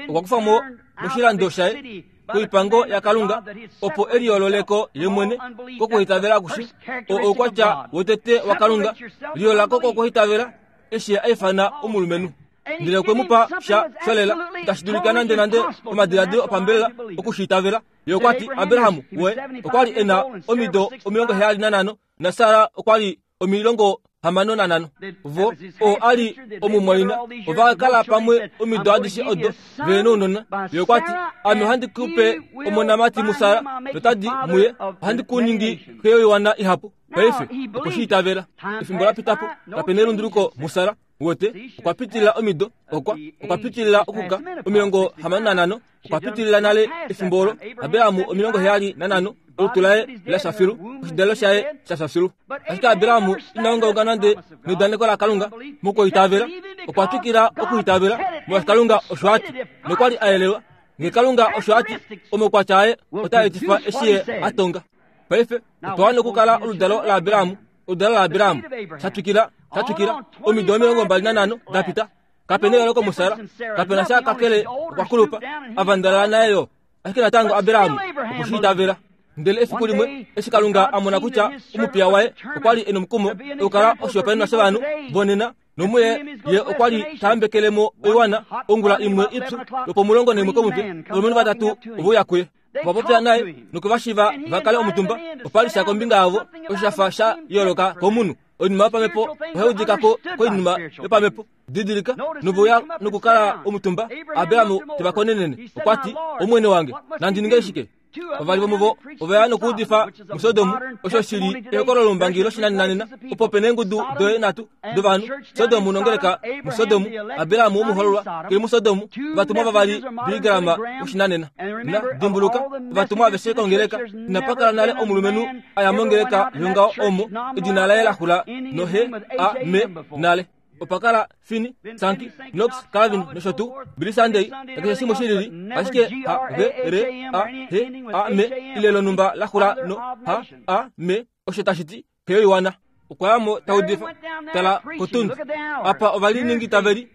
Okwa kufa mo moshilando shaye koipango yaKalunga opo e liyoololeko ye mwene kokuhitavela akushe. Oo oukwatya wotete waKalunga, liyoololako kokuhitavela eshi a ifana omulumenhu. Ndele okwe mu pa sha sholela, itashi dulika nande nande omadiladilo opambelela okushiitavela. Ye okwa ti Abraham we okwa li e na omido omilongo heyali nanhano naSara okwa li omilongo hamano nanhano. Vo oo a li omumwaina ova kala pamwe omido adishe odo ve nounona. Ye okwa ti, ame ohandi ku pe omonamati muSara, notadi muye ohandi ku ningi xe yoiwana ihapu. Paife okwe shi itavela. Efimbo la pita po, kape nelunduluko muSara. Uwete, okwa pitilila omido, okwa okwa pitilila okuka omilongo hamano nanhano, okwa pitilila nale efimbo olo. Abraham omilongo heyali nanhano, olutu laye la fya filu, oshidalelo shaye sha fya filu. Ashike Abraham ina ungaunga nande neudaneko laKalunga mokuitavela, okwa twikila okuitavela molwaashi Kalunga osho a ti, nokwa li a yelelwa. Ngee Kalunga osho a ti, omaukwatya aye otaa etifa eshi ye a tonga. Paife otwa wana okukala oludalo laAbraham, oludalo laAbraham, sha twikila, sha twikila, omido omilongo mbali nanhano da pita. Kape neyooloko muSara, kape na sha kakele okwa kulupa, a vandalala naye yo. Ashike natango Abraham okwe shi itavela. Ndele efiku limwe eshi Kalunga a mona kutya omupiya waye okwa li e nomukumo okukala oshihopaenenwa shovanhu vonena, nomuye ye okwa li ta yambekele mo oiwana, ongula imwe ipyu lwopomulongo naimwe komutwe, ovalumenhu vatatu ove uya kuye. Ova popya naye nokwe va shiva va kale omutumba. Opa li sha kombinga yavo osho sha fa sha yooloka komunhu. Oinima yopamhepo ohai udika ko koinima yopamhepo. Didilika, nove uya nokukala omutumba. Abraham te va konenene. Okwa ti, Omwene wange, nandi ninge shike? Vavali vomuvo oveya nokuudifa muSodomu, osho shili ehokololo lombangi loshinanena opo pena eengudu doye nhatu dovanhu, Sodomu nongeleka muSodomu, Abrahamu womuhololwa keli muSodomu, ovatumwa vavali Billy Graham woshinanena. Na dimbuluka, ovatumwa aveshe kongeleka inapa kala nale omulumenhu aya mongeleka yongaho omo edina laye laxula nohe a me nale. Opa kala Finney, Sankey, Knox, Calvin nosho tuu Billy Sunday nakeshe shimwe shilili, ashike H V R A H A M ile lonhumba laxula no H A M osho tashi ti heyoiwana. Okwa yamo taudifa tala kotundi apa ovaliningi taveli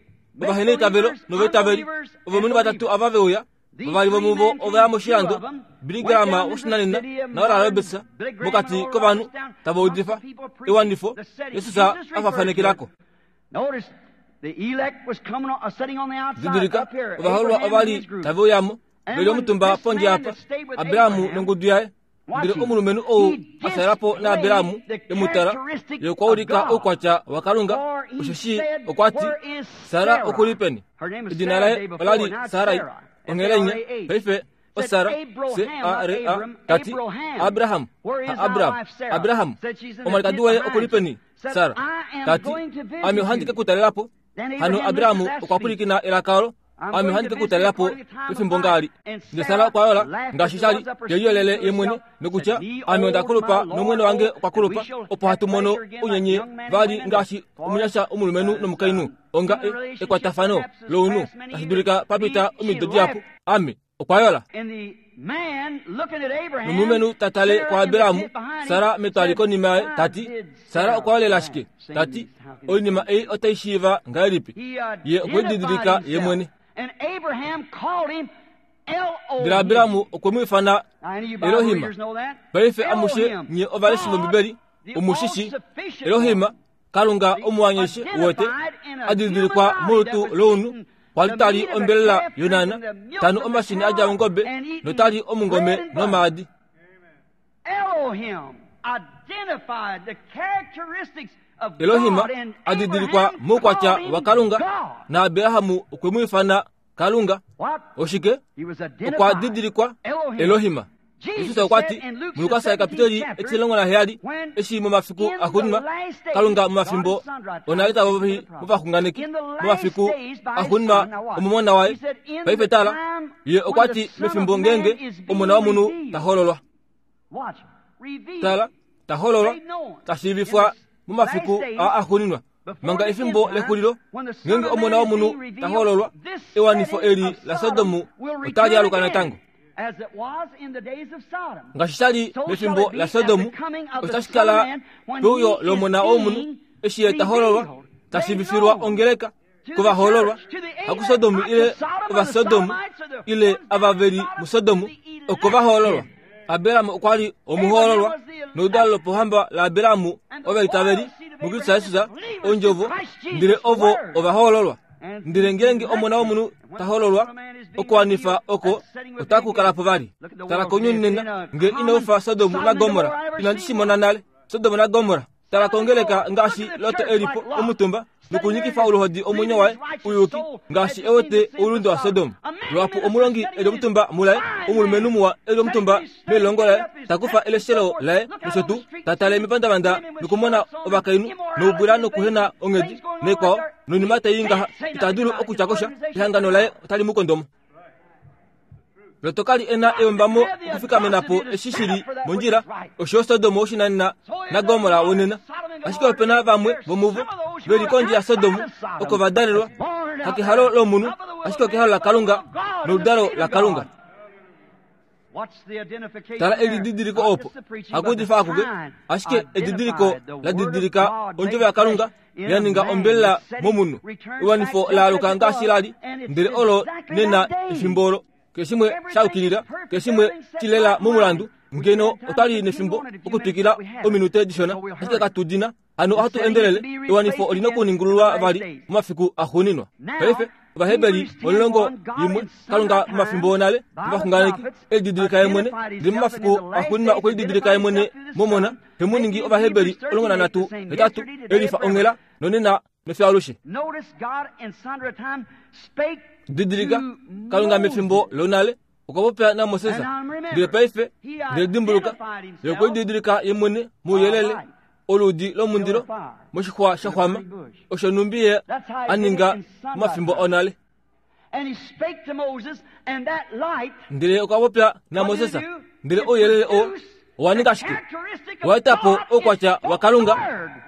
ovahena itavelo novaitaveli ovalumenhu vatatu ava veuya vavali vomuvo ovaya moshilando Billy Graham woshinanena naOral Roberts mokati kovanhu tava udifa ewanifo Jesus afafanekelako. Didilika ovaholwa ovali tave uyamo veli omutumba pondje apa Abrahamu nongudu yaye. Ndele omulumenhu ou asalapo na Abrahamu emutala ye okwa ulika oukwatya waKalunga osheshi okwa ti Sara okuli peni? Edina laye olali Sarai onghelenya paife oSara C A R A tati Abraham Abraham Abraham omwalikadi waye okuli peni? Sara tati ame ohandi ke kutalelapo. Hano Abrahamu okwa pwilikina elaka olo ame ohandi ke kutalelapo pefimbo ngali. Ndele Sara okwa yola ngaashi shali teyiyolele ye mwene nokutya ame onda kulupa nomwene wange okwa kulupa opo hatu mono unyenye vali ngaashi omunyasha omulumenhu nomukainhu onga ekwatafano lounhu tashi dulika papita omido dihapu. Ame okwa yola. Nomulumenhu tatale kwa Abrahamu Sara metwali konima yaye tati Sara okwa yolela shike? Tati oinima ei otai shiiva ngahelipi? Ye okwe didilika ye mwene. Ndele Abrahamu okwe mu ifana Elohima. Paife amushe nye ovaleshi vOmbibeli omushishi Elohima Kalunga omuwanyeshe wote adidilikwa molutu lounhu kwali tali ombelela yonana tanu omashini adja ongobe notali omungome nomaadi. Elohima adidilikwa moukwatya waKalunga na Abrahamu okwe mu ifana Kalunga. Oshike? Okwa didilikwa Elohima. Jesus okwa ti muLukas kapitoli etilongo na heyali eshi momafiku axuuninwa Kalunga momafimbo onale tava movaxunganeki momafiku axuuninwa omomona waye. Paife tala, ye okwa ti mefimbo ngenge omona womunhu tahololwa. Tala, tahololwa tashiivifwa momafiku a axuuninwa manga efimbo lexulilo ngenge omona womunhu tahololwa ewanifo eli la Sodomu otali aluka natango. Ngaashi shali mefimbo la Sodomu otashi kala peuyo lomona womunhu eshi ye tahololwa tashiivifilwa ongeleka kovahololwa hakuSodomu ile ovaSodomu ile ava veli muSodomu okovahololwa. Abrahamu okwa li omuhololwa noudalo lopohamba la Abrahamu ovaitaveli muKristus Jesus ondjovo ndele ovo ovahololwa. Ndele ngenge omona womunhu tahololwa okuwanifa oko otaku kalapo vali. Tala kounyuni nena nge inaufa Sodomu naGomora inandi shi mona nale Sodomu naGomora. Tala kongeleka ngaashi Lot elipo omutumba nokunyikifa oluhodi omwenyo waye uyuki ngaashi ewete oulunde wa Sodomu. Lwapo omulongi eli omutumba mulaye omulumenhu muwa eli omutumba melongo laye takufa eleshelo laye nosho tuu tatale mepandavanda nokumona ovakainhu noubwila nokuhena onghedi nekwao noinima tai ngaha ita dulu okutya kosha ehangano laye otali mu kondomo. Lot kali ena eyombamo okufikamenapo eshi shili mondjila osho Sodomu oshinanena naGomora wonena. Ashike opena vamwe vomuvo veli kondje ya Sodomu oko vadalelwa hakehalo lomunhu ashike okehalo laKalunga noludalo laKalunga. Tala elididiliko opo hakuudifa akuke ashike edidiliko ladidilika ondjovo yaKalunga yaninga ombelela momunhu ewanifo laaluka ngaashi lali ndele olo nena efimbo olo keshimwe shaukilila keshimwe chilela momulandu ngeno otali nefimbo okutwikila ominute dishona ashike katudina hano ohatu endelele ewanifo olina okuningululwa vali momafiku axuuninwa. Paife Ovaheberi omulongo yimwe Kalunga momafimbo onale movaxunganeki elididilika ye mwene ndele momafiku axuuninwa okwe lididilika ye mwene momona hemuningi Ovaheberi omulongo nanhatu hetatu elifa onghela nonena nofyaalushe. Didilika Kalunga mefimbo lonale Okwa popya naMoses. Ndele paife ndele dimbuluka, ye okwe lididilika ye mwene mouyelele oludi lomundilo moshixwa sha xwama, osho numbi ye a ninga momafimbo onale. Ndele okwa popya naMoses, ndele ouyelele oo owa ninga shike? Owa eta po oukwatya waKalunga,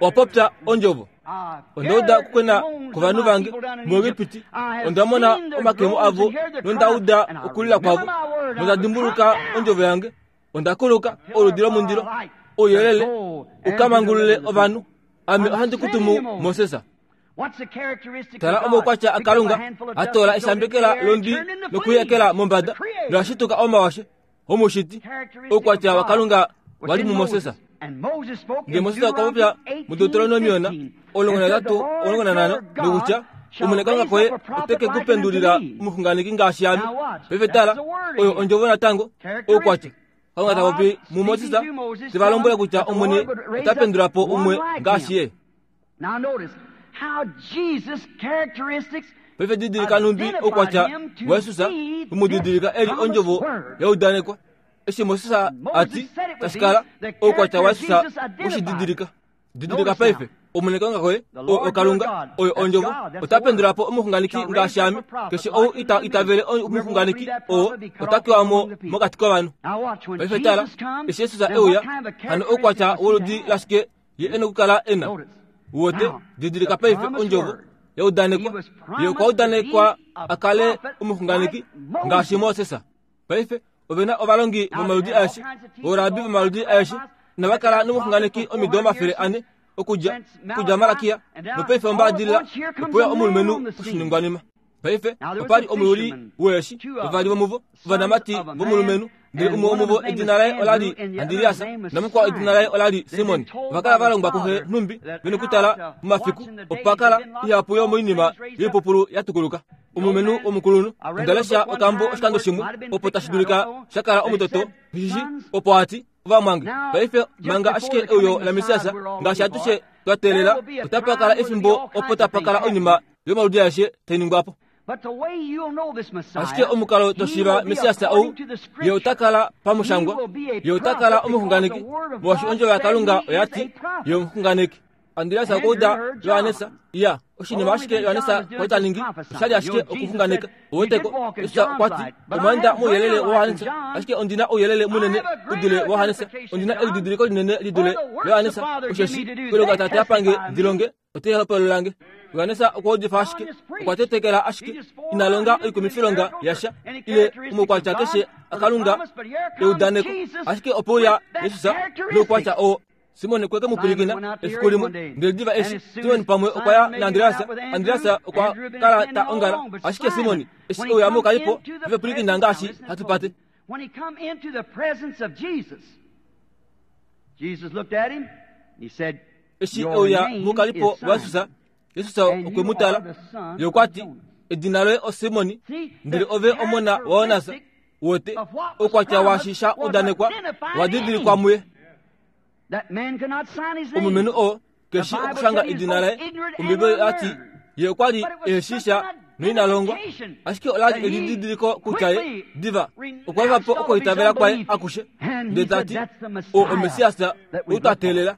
owa popya ondjovo. Onda uda okukwena kwovanhu vange muEgipiti, onda mona omakemo avo nonda uda okulila kwavo, nonda dimbuluka ondjovo yange. Onda kuluka oludi lomundilo, ouyelele u ka mangulule ovanhu. Ame ohandi ku tumu Moses. Tala omaukwatya aKalunga, a toola eshambekela londwi nokuyekela mombada, noashituka omawashe omushiti. Oukwatya waKalunga wali muMoses. Ndele Moses okwa popya muDeuteronomion omulongo nahetatu omulongo nanhano nokutya, Omwene Kalunga koye ote ke ku pendulila omuxunganeki ngaashi ame. Paife tala, oyo ondjovo natango, oukwatya. Kalunga ta popi muMoses, te va lombwele kutya Omwene ota pendula po umwe ngaashi ye. Paife didilika nhumbi oukwatya waJesus umudidilika eli ondjovo ya udanekwa. Eshi Moses a ti tashi kala, oukwatya waJesus ushididilika. Didilika paife, Omwene Kalunga koye, oo oKalunga, oyo ondjovo, ota pendula po omuxunganeki ngaashi ame. Keshe ou ita itavele omuxunganeki oo ota kewa mo mokati kovanhu. Paife tala, eshi Jesus e uya, hano oukwatya woludi lashike ye e nokukala e na? Wote, didilika paife ondjovo ya udanekwa. Ye okwa udanekwa a kale omuxunganeki ngaashi Moses. Paife ove na ovalongi vomaludi aeshe, oorabi vomaludi aeshe, nava kala nomuxunganeki omido omafele ane okudja okudja Malakia, nopaife ombaadilila opo ya omulumenhu oshiningwanima. Paife opa li omuyuli weeshi, vavali vomuvo ovanamati vomulumenhu, ndele umwe womuvo edina laye ola li Andreas, namukwao edina laye ola li Simon. Ova kala va longwa kuxe nhumbi ve nokutala momafiku, opa kala ihapu yomoinima yoipupulu ya tukuluka. Omulumenhu omukulunhu onda lesha okambo oshikando shimwe opo tashi dulika sha kala omutoto shishi, opo a ti, ovamwange, paife manga ashike euyo laMessias ngaashi atushe twa teelela, otapa kala efimbo opo tapa kala oinima yomaludi aeshe tai ningwa po. Ashike omukalo to shiiva Messias ou, ye ota kala pamushangwa, ye ota kala omuxunganeki, molwaashi ondjovo yaKalunga oya ti ye omuxunganeki. Andreas okwa uda Johannes, ya oshinima ashike Johannes kwa ta ningi oshali ashike okuxunganeka. Oweteko, Jesus okwa ti, omwa enda mouyelele waJohannes, ashike ondi na ouyelele munene u dule waJohannes, ondi na elididiliko linene li dule laJohannes, osheshi oilonga Tate a pange ndi longe, otai hopolola nge. Johannes okwa udifa ashike, okwa tetekela ashike, ina longa oikumifilonga yasha ile omaukwatya keshe aKalunga eudaneko, ashike opo uya Jesus noukwatya oo. Simon okwe ke mu pwilikina efiku limwe, ndele diva eshi Simon pamwe okwa ya naAndreas, Andreas okwa kala ta ongala, ashike Simon eshi e uya mokalipo ve pwilikina ngaashi hatu pate.
When he come into the presence of Jesus, Jesus looked at him and he said,
Eshi e
Your
uya
name
mokalipo
is
waJesus,
Simon,
Jesus
and
okwe
you
mu
are
tala,
the son
ye okwa
of
ti,
Jonas.
edina loye oSimon,
See,
ndele
the
ove omona waJonas.
characteristic
Wote,
of what was
oukwatya waashi
promised
sha
was
udanekwa
identified
wa
in
didilikwa
him.
muye.
That man could not sign his name.
Omulumenhu oo
The
keshi
Bible
okushanga
said he was
edina
both
laye.
ignorant and
Ombibeli oya ti
unlearned.
ye okwa li
But it was
eshi
such
sha
an
noina longwa,
identification
ashike ola li
that he
elididiliko kutya ye
quickly
diva okwa efa po
renounced all of his
okuitavela kwaye
unbelief.
akushe,
And he
ndele ta
said,
ti,
That's the
o
Messiah
oMessias
that we
ou twa
look for.
teelela.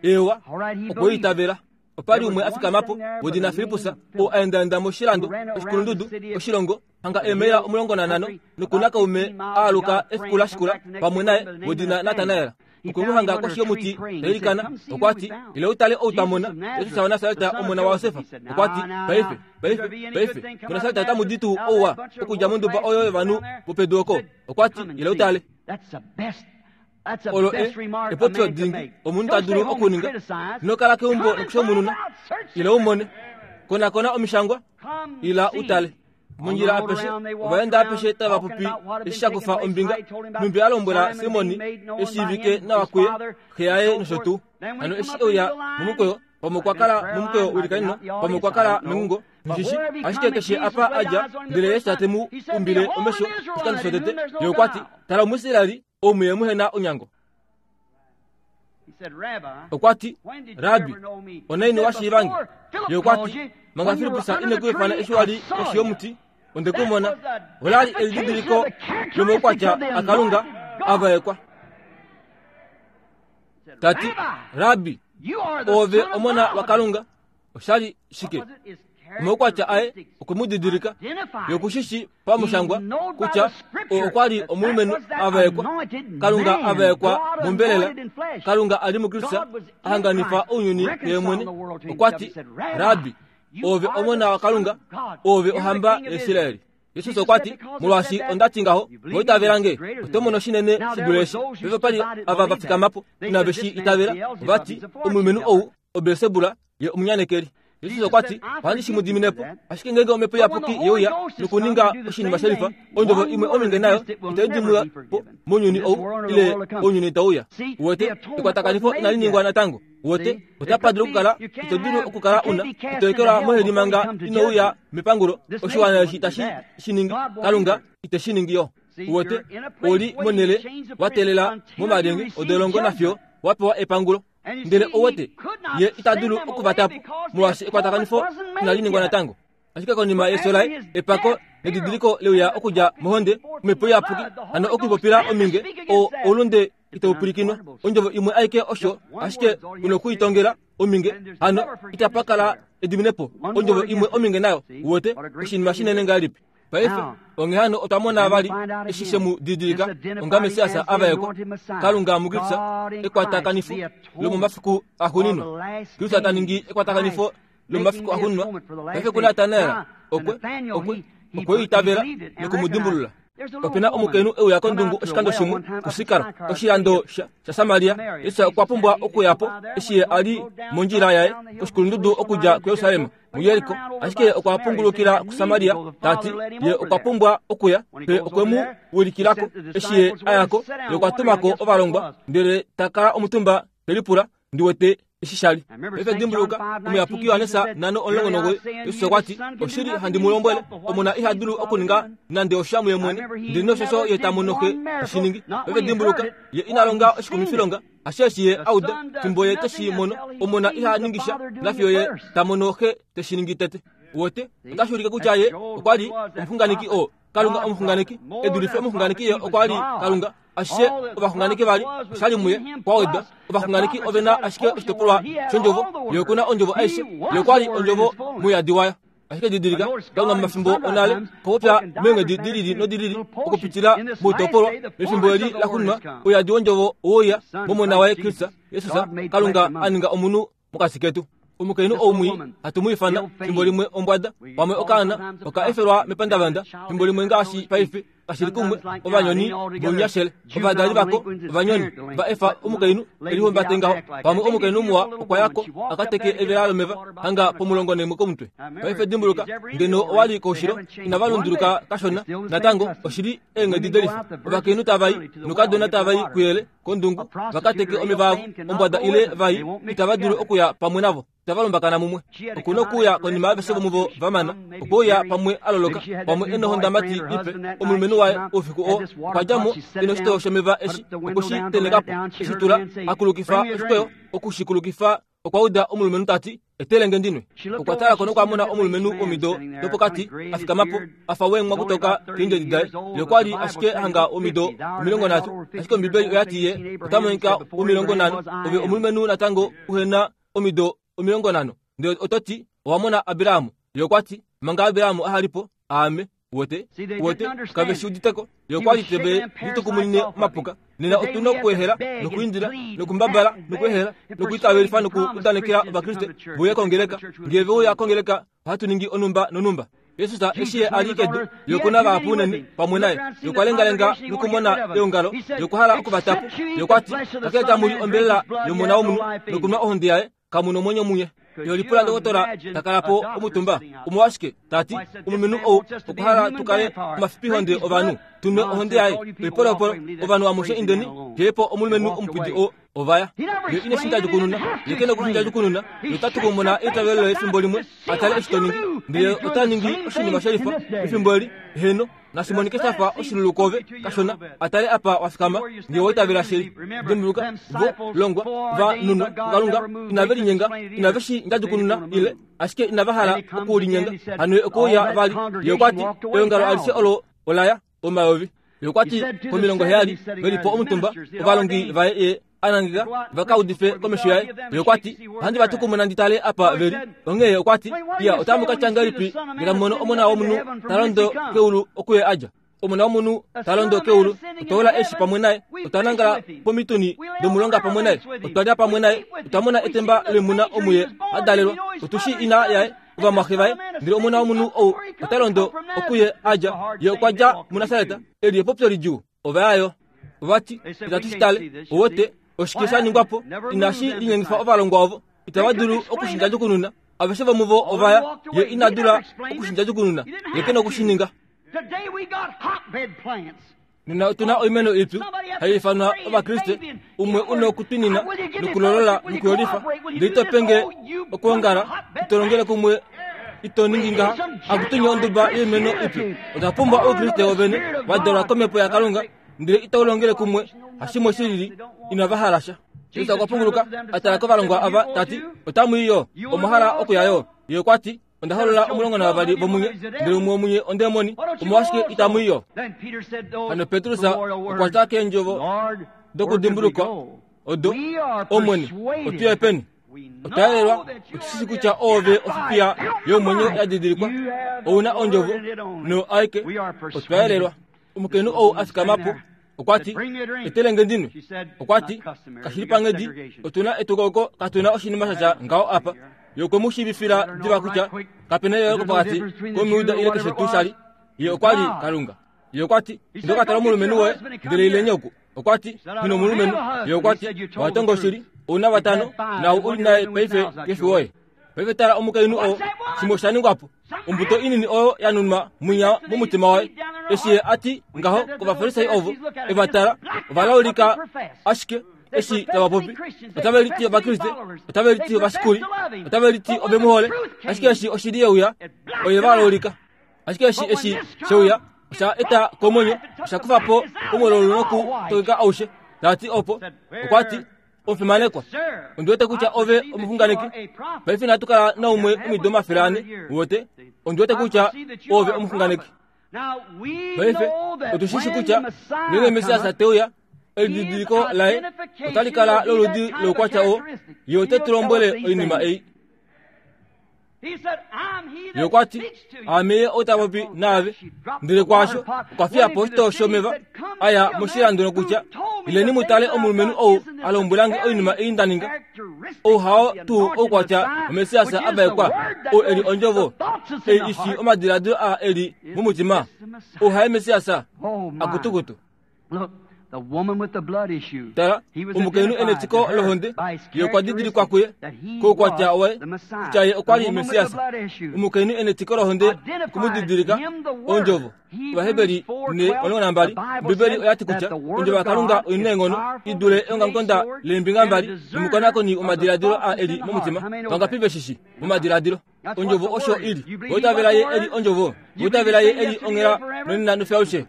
Ewa,
All right, he
okwe
believed.
itavela. Opa li
There
umwe
was
a
one
fikama po
sitting there by
wedina
the
Filippus,
name of
oo
Philip,
a endaenda
who
moshilando
ran around the
oshikulundudu
city of
oshilongo hanga
the
eemaila
hill
omulongo nanhano,
country,
nokuna
about
kaume
fifteen
a
miles, and
aluka
got a
efiku
friend
la
come
shikula
back the next
pamwe
day
naye
by the name of
wedina
Nathanael.
Natanael.
He
Okwe mu
found him
hanga
under
koshi
a tree
yomuti
praying.
ta
He said,
ilikana,
Come see
okwa
who we
ti,
found.
ile u tale ou twa
Jesus
mona,
of
Jesus
Nazareth,
waNasaret
the son of
omona
Joseph.
waJosef.
He said,
Okwa ti,
Now, now,
paife,
now, is
paife,
there be any good
paife,
thing come out of
muNasaret otamu
Nazareth?
di tuu
Out of
ouwa
that bunch of
okudja monduba
low-class
oyo
people
yovanhu
down there?
vopedu oko.
He said,
Okwa ti,
Come and
ile u
see.
tale.
That's the best. That's the
Olo e
best remark a
epopyo
man can
dingi
make.
omunhu ta
Don't stay
dulu
home and
okuninga.
criticize.
Ino kala keumbo
Come and
nokushomununa,
find out. Search the
ile u mone.
Scripture.
Konakona omishangwa,
Come
ila
see.
u tale.
On the
Mondjila
road
apeshe,
around they
ova
walked
enda
around
apeshe tava
talking
popi
about what had been
eshi sha
taking
kufa
place.
ombinga.
How he told him about
Nhumbi a lombwela
Simon
Simoni
being made known by
eshiivike
him,
nawa
his
kuye,
father,
xe
and
yaye
so
nosho
forth.
tuu.
Then we
Hano
come
eshi
up
e uya
into the line.
momukweyo, pamwe okwa
I've been in
kala
prayer
momukweyo
line, I've been
wilikanino,
out in the
pamwe
audience,
okwa
I
kala
don't know.
mengungo,
But
njishi,
wherever he
ashike
come and
keshe
Jesus
apa
laid
adja,
eyes on him the
ndele
first
yesu tate
time,
mu
he said,
umbile
Behold
omesho
an
oshikando
Israelite in
shotete,
whom there's
ye
no
okwa ti,
guile.
tala Omuisraeli, ou muye muhe na onyango.
He said, Rabbi,
Okwa ti,
when did you
Rabi,
ever know me? He
onaini
said,
wa shiivange?
Before
Ye
Philip
okwa
called
ti,
you,
manga
when you were
Filippus
under
ine
the
ku ifana
tree,
eshi wa
I
li
saw
koshi
you.
yomuti, Onde ku mona olali elididiliko lomaukwatya aKalunga avaekwa. Tati, Rabbi, ove omona waKalunga. Oshali shike? Omaukwatya aye okumudidilika yokushishi pamushangwa kutya okwali omulumenhu avaekwa, Kalunga avaekwa mombelela, Kalunga ali muKristu ahanganifa ounyuni yemwene. Okwati, Rabbi, ove omona waKalunga, ove ohamba yaIsraeli. Jesus okwati, molwaashi ondati ngaho, voitavelange, oto mono shinene shidule eshi. Paife pali ava vafikamapo inave shi itavela, vati omulumenhu ou oBelsebula ye omunyanekeli. Jesus okwati, ohandi shi mu diminepo, ashike ngenge omhepo iyapuki yeuya nokuninga oshinima shelifa, ondjovo imwe ominge nayo itai dimwa po mounyuni ou ile ounyuni tauya. Uwete, ekwatakanifo inali ningwa natango. Uwete, otapa dulu okukala, ito dulu okukala una, ito ekelwa moheli manga inouya mepangulo. Oshiwana eshi itashi shi ningi, Kalunga ite shi ningi yo. Uwete, oli monele watelela momalyenge odolongo nafyo wapewa epangulo. Ndele owete ye ita dulu okuvatapo molwaashi ekwatakanifo inali ningwa natango. Ashike konima yefyo laye, epako nedidiliko leuya okudja mohonde, omhepo iyapuki hano okuipopila ominge o oulunde itau pwilikinwa. Ondjovo imwe aike osho, ashike una okuitongela ominge hano itapa kala ediminepo. Ondjovo imwe ominge nayo. Uwete, oshinima shinene ngahelipi? Paife onghee hano otwa mona vali eshi she mu didilika onga Messias avaekwa, Kalunga muKristu, ekwatakanifo lomomafiku axuuninwa. Kristu ta ningi ekwatakanifo lomomafiku axuuninwa. Paife kuNatanael okwe okwe okwe itavela nokumudimbulula. Opena omukainhu euya kondungu oshikando shimwe kuSikar, oshilando shaSamaria. Jesus okwa pumbwa okuyapo eshi ye ali mondjila yaye koshikulundudu okudja kuJerusalem muJeriko, ashike okwa pungulukila kuSamaria. Tati ye okwa pumbwa okuya, pe okwe mu wilikilako. Eshi ye ayako, ye okwa tumako ovalongwa, ndele ta kala omutumba telipula, ndiwete eshi shali. Paife dimbuluka, omuyapuki Johannes nano omulongo nomugoyi, Jesus okwati, oshili handi mu lombwele, omona iha dulu okuninga nande osha muye mwene, ndele noshosho ye ta mono xe teshi ningi. Paife dimbuluka, ye ina longa oshikumifilonga, asheshi ye auda, fimbo ye teshi mono, omona iha ningisha, nafiyo ye ta mono xe teshi ningi tete. Uwete, otashi ulike kutya ye okwali omuxunganeki oo, Kalunga omuxunganeki, edulife omuxunganeki ye okwali Kalunga. Ashishe ovaxunganeki vali oshali muye kwawedwa. Ovaxunganeki ovena ashike oshitopolwa shondjovo, ye okuna ondjovo aishe, ye okwali ondjovo muyadi wayo. Ashike didilika, Kalunga momafimbo onale okwa popya meenghedi dilili nodilili okupitila moitopolwa. Mefimbo eli laxuuninwa, ouyadi wondjovo oweuya momona waye Kristus Jesus, Kalunga a ninga omunhu mokati ketu. Omukainhu ou mwii hatu mu ifana fimbo limwe ombwada, pamwe okaana oka efelwa mepandavanda, fimbo limwe ngaashi paife kashili kumwe ovanyoni vounyashele, ovadali vako ovanyoni va efa omukainhu elihumbate ngaho. Pamwe omukainhu muwa okwa yako akateke evela lomeva hanga pomulongo nemwe komutwe. Paife dimbuluka, ngeno owali koushilo inava lunduluka kashona natango oshili eenghedi delifa. Ovakainhu tavai nokadona tavai kuyele kondungu vakateke omeva avo, ombwada ile vai itava dulu okuya pamwe navo, itava lombakana mumwe. Okuna okuuya konima aveshe vomuvo vamana, okweuya pamwe aloloka, pamwe enohondamati ipe. Omulumenhu waye oufiku oo okwa dja mo ena oshitoyo shomeva eshi okweshi tenhekapo, eshi tula akulukifa oshikweyo, okushikulukifa okwa uda omulumenhu tati, etelenge ndinwe. Okwa tala ko nokwa mona omulumenhu womido dopokati a fikama po, a fa wengwa kutoka keendjedi daye. Ye okwali ashike hanga omido omilongo nhatu, ashike Ombibeli oyati ye ota monika womilongo nhano. Ove omulumenhu natango uhena omido omilongo nhano, ndele oto ti owa mona Abraham. Ye okwati, manga Abraham ahalipo, aame. Uwete, uwete, kave shi uditeko. Ye okwali teve litukumunine omapuka. Nena otuna okuehela nokuindila nokumbabala nokuehela nokuitavelifa nokuudanekela Ovakriste veuye kongeleka. Ngee veuya kongeleka, ohatu ningi onumba nonumba. Jesus eshi ye ali kedu, ye okuna vahapu unene pamwe naye. Ye okwa lengalenga nokumona eongalo, ye okwa hala okuvatapo. Ye okwati, kakele tamu li ombelela yomona womunhu nokunwa ohonde yaye, kamu nomwenyo munye. Ye lipula ndokotola takala po omutumba. Omolwashike tati omulumenhu ou okwa hala tukale omafipihonde ovanhu, tunwe ohonde yaye. Oipolopolo ovanhu amushe indeni, djeepo omulumenhu omupwidi oo ovaya. Ye ine shinda jukununa, ye kena okushinda jukununa, ye ota tukumuna eitavelo loye efimbo limwe, atale eshi to ningi. Ndele ota ningi oshinima shelifa efimbo eli, heno, Nashimonike shafa oshilulu kove kashona atale apa wafikama nge woitavela shili. Dimbuluka vo longwa va nunwa kuKalunga inave linyenga inave shi ndjadjukununa ile ashike inava hala okulinyenga. Hano okuuya vali ye okwati eongalo alishe olo olaya omayovi. Ye okwati komilongo heyali velipo omutumba ovalongi vaye ye anangika vakaudife komesho yaye. Ye okwati ohandi va tukumuna ndi tale apa veli. Onghee okwati iya otamu ka tya ngahelipi ngele mono omona womunhu ta londo keulu okuye adja. Omona womunhu ta londo keulu otwa ola eshi pamwe naye, otwa nangala pomituni domulonga pamwe naye, otwa lya pamwe naye, otwa mona etemba lemuna omuye adalelwa, otushi ina yaye ovamwaxe vaye. Ndele omona womunhu ou ota londo okuye adja. Ye okwa dja muNasareta eli epopyo lidjuu. Ovayayo ovati itatu shi tale owote oshike sha ningwapo inashi linyengifa ovalongwa ovo itava dulu okushindjadjukununa. Aveshe vomuvo ovaya ye ina dula okushindjadjukununa ye ke nokushininga. Nena otuna oimeno ipyu hai ifanwa Ovakriste, umwe una okutwinina nokulolola nokuyolifa, ndele ito penge okwoongala, ito longele kumwe, ito ningi ngaha, akutunya onduba yoimeno ipyu. Otwa pumbwa Oukriste wovene wa dalwa komhepo yaKalunga, ndele itau longele kumwe hashimwe shilili inava hala sha. Jesus okwa punguluka atala kovalongwa ava tati otamu i yo omwa hala okuya yo. Ye okwati onda holola omulongo navavali vomunye, ndele umwe womunye ondemoni, omolwashike itamu i yo? Hano Petrus okwa tya keendjovo dokudimbulukwa odo, Omwene, otuye peni? Otwa yelelwa, otushi kutya oove ofifiya yomwenyo ya didilikwa, ouna ondjovo no aike. Otwa yelelwa. Omukainhu ou a fikama po okwati etelenge ndinwe. Okwati kashili panghedi, otuna etukauko, katuna oshinima shatya ngaho apa. Ye okwe mu shiivifila diva kutya kapena eyooloko pokati komujuda ile keshe tuu shali. Ye okwa li Kalunga. Ye okwati ndoka tala omulumenhu woye ndele ileni oku. Okwati nghi omulumenhu. Ye okwati owa tonga oshili, ouna vatano nau uli naye paife kefi woye. Paife tala omukainhu oo shimwe osha ningwapo. Ombuto inini oyo ya nunwa mwinya momutima waye. Eshi ye ati ngaho kovafarisai ovo evatala ovalaulika ashike eshi tava popi. Otave liti Ovakriste, otave liti ovashikuli, otave liti ovemuhole, ashike eshi oshili yeuya oye valaulika. Ashike eshi eshi sheuya osha eta komwenyo, osha kufa po omololo nokutokeka aushe. Tati opo okwati omufimanekwa, ondi wete kutya ove omuxunganeki. Paife inatu kala naumwe omido omafele ane wote. Ondi wete kutya ove omuxunganeki. Paife otushishi kutya ngeenge Messias teuya, elididiliko laye otali kala loludi loukwatya oo. Ye ote tu lombwele oinima ei. Ye okwati aame ye ou ta popi naave. Ndele kwaasho okwa fiya po oshitoo shomeva aya moshilando nokutya ileni mu tale omulumenhu ou a lombwelange oinima ei nda ninga. Ou hao tuu oukwatya waMessias a vaekwa, ou eli ondjovo ei ishi omadiladilo a eli momutima. Ou haye Messias akutukutu. Tala omukainhu ena etiko lohonde, ye okwa didilikwa kuye koukwatya waye kutya ye okwa li Messias. Omukainhu ena etiko lohonde okumudidilika ondjovo. Ovaheberi ne omulongo nambali, Ombibeli oyati kutya ondjovo yaKalunga oina eenghono i dule eongamukonda leembinga mbali nomukonakoni womadiladilo a eli momutima. Vangapi veshishi momadiladilo? Ondjovo osho ili. Oitavela ye eli ondjovo. Oitavela ye eli onghela nonena nofyaushe.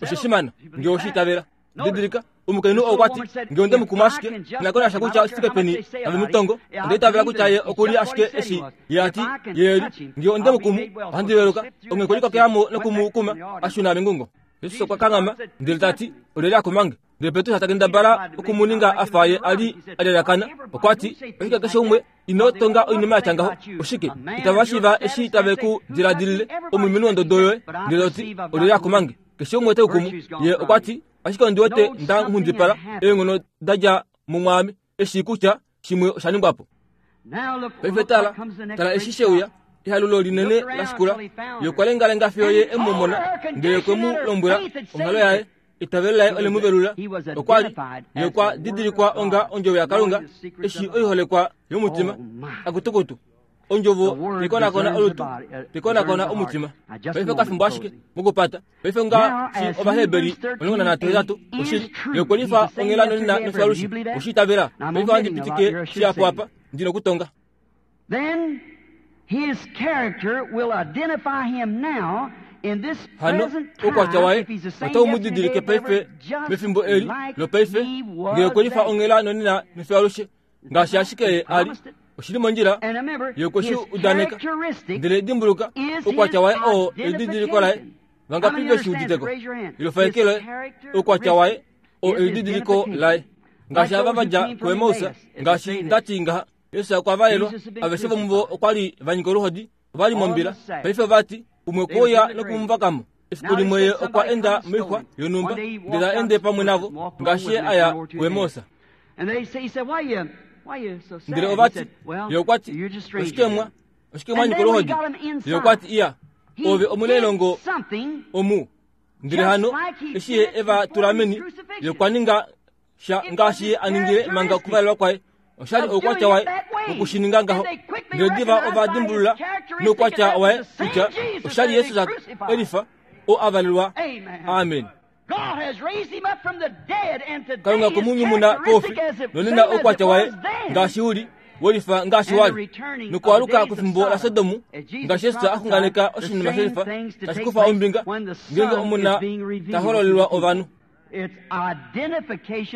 Osho shimana nge oshiitavela. Didilika omukainhu oo okwati nge onde mu kuma ashike nakonasha kutya oshifike peni tave mu tongo, onda itavela kutya ye okuli ashike eshi ye ati ye eli. Nge onde mu kumu ohandi veluka. Onghee okwe likokelamo nokumukuma ashuna mengungo. Jesus okwa kanghama ndele tati olyelye a kumange? Ndele Petrus ta kendabala okumuninga afa ye ali a lyalakana. Okwati oshike keshe umwe ino tonga oinima yatya ngaho? Oshike itava shiiva eshi tave ku diladilile omulumenhu wondodo yoye? Ndele oti olyelye a kumange? Keshe umwe te ku kumu. Ye okwati ashike ondi wete nda nghundipala eenghono da dja mumwaame eshi kutya shimwe osha ningwapo. Paife tala tala eshi sheuya ehalulo linene la shikula. Ye okwa lengalenga fiyo ye emumona, ndele okwe mu lombwela onghalo yaye. Itavelo laye ole mu velula. Okwa li ye okwa didilikwa onga ondjovo yaKalunga eshi oiholekwa yomutima. Akutukutu ondjovo tekonakona olutu, tekonakona omutima. Paife okafimbo ashike mokupata. Paife ngaashi Ovaheberi omulongo nanhatu hetatu oshili ye okwe lifa onghela nonena nofyalushe oshiitavela. Paife ohandi pitike shihapu apa ndi nokutonga.
Then his character will identify him now
Hano oukwatya waye otau mu didilike paife mefimbo eli lopaife ngee okwe lifa onghela nonena mefiyo alushe ngaashi ashike ye ali oshili mondjila ye okwe shi udaneka. Ndele dimbuluka oukwatya waye oo elididiliko laye. Vangapi ve shi uditeko? Ilofa eke loye. Oukwatya waye oo elididiliko laye. Ngaashi ava va dja kuEmaus, ngaashi ndati ngaha Yesu okwa valelwa, aveshe vomuvo okwa li va nyika oluhodi, ova li mombila. Paife ovati umwe okwe uya nokumuvakamo. Efiku limwe ye okwa enda moixwa yonhumba, ndele ta ende pamwe navo ngaashi ye aya kuEmaus. Ndele ovati ye okwa ti, oshike mwa oshike mwa nyika oluhodi? Ye okwa ti, iya, ove omunailongo omu. Ndele hano eshi ye e va tula meni, ye okwa ninga sha ngaashi ye a ningile manga okuvalelwa kwaye. Oshali oukwatya waye wokushininga ngaho. Ndele diva ova dimbulula noukwatya waye kutya oshali Yesus elifa oo a valelwa. Amen. Kalunga okwe koufi nonena oukwatya waye ngaashi uli welifa ngaashi wali. Nokwaluka kwefimbo laSodomu ngaashi Yesus a xunganeka oshinima shelifa tashi kufa ombinga ngeenge omuna ta hololelwa ovanhu.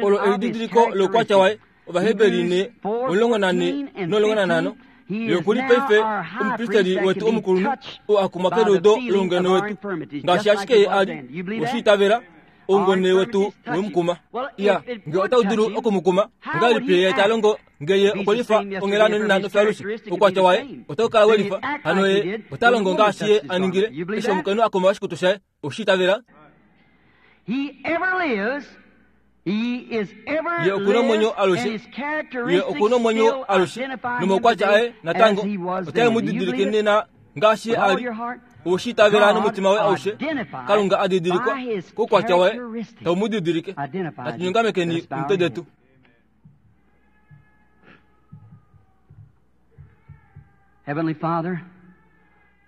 Olo elididiliko loukwatya waye. Ovaheberi ne omulongo nane nomulongo nanhano. Ye okuli paife omupristeli wetu omukulunhu oo a kumwa keludo loungone wetu ngaashi ashike ye ali. Oshiitavela oungone wetu wemukuma. Iya, ngee otau dulu okumukuma, ongahelipi ye ta longo ngee ye okwe lifa onghela nonena nofiyo alushe? Oukwatya waye otau kala welifa. Hano ye ota longo ngaashi ye a ningile eshi omukainhu a kuma oshikutu shaye. Oshiitavela. Ye okuna omwenyo alushe. Ye okuna omwenyo alushe nomaukwatya aye natango otae mu didilike nena ngaashi ye ali. Oshiitavela nomutima waye aushe. Kalunga a didilikwa koukwatya waye tau mu didilike. Natu nyongamekeni omitwe detu.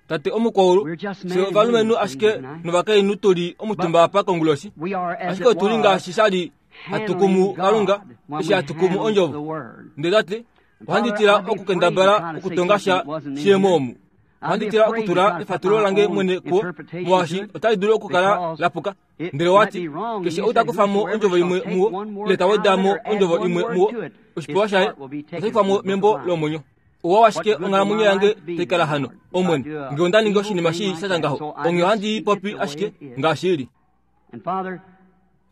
Tate omukwaulu, fye ovalumenhu ashike novakainhu tuli omutumba apa konguloshi, ashike otuli ngaashi shali hatu kumu Kalunga eshi hatu kumu ondjovo. Ndele tate, ohandi tila okukendabala okutonga sha shiyemo omu. Ohandi tila okutula efatulo lange mwene kuwo, molwaashi otali dulu okukala la puka. Ndele wati, keshe ou ta kufa mo ondjovo imwe muwo, ile ta weda mo ondjovo imwe muwo, oshipewa shaye otashi kufwa mo membo lomwenyo. Ouwa washike onghalamwenyo yange tai kala hano, Omwene, ngee onda ningi oshinima shii sha tya ngaho, onghee ohandi i popi ashike ngaashi ili.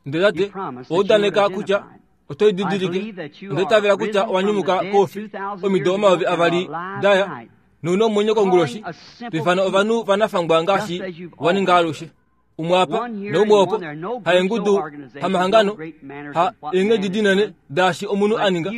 Ndele tate, owa udaneka kutya oto i didilike. Onda itavela kutya owa nyumuka koufi omido omayovi avali daya, nouna omwenyo konguloshi, to ifana ovanhu vanafangwa ngaashi wa ninga alushe. Umwe apa naumwe opo, haengudu, hamahangano, ha eenghedi dinene daashi omunhu a ninga.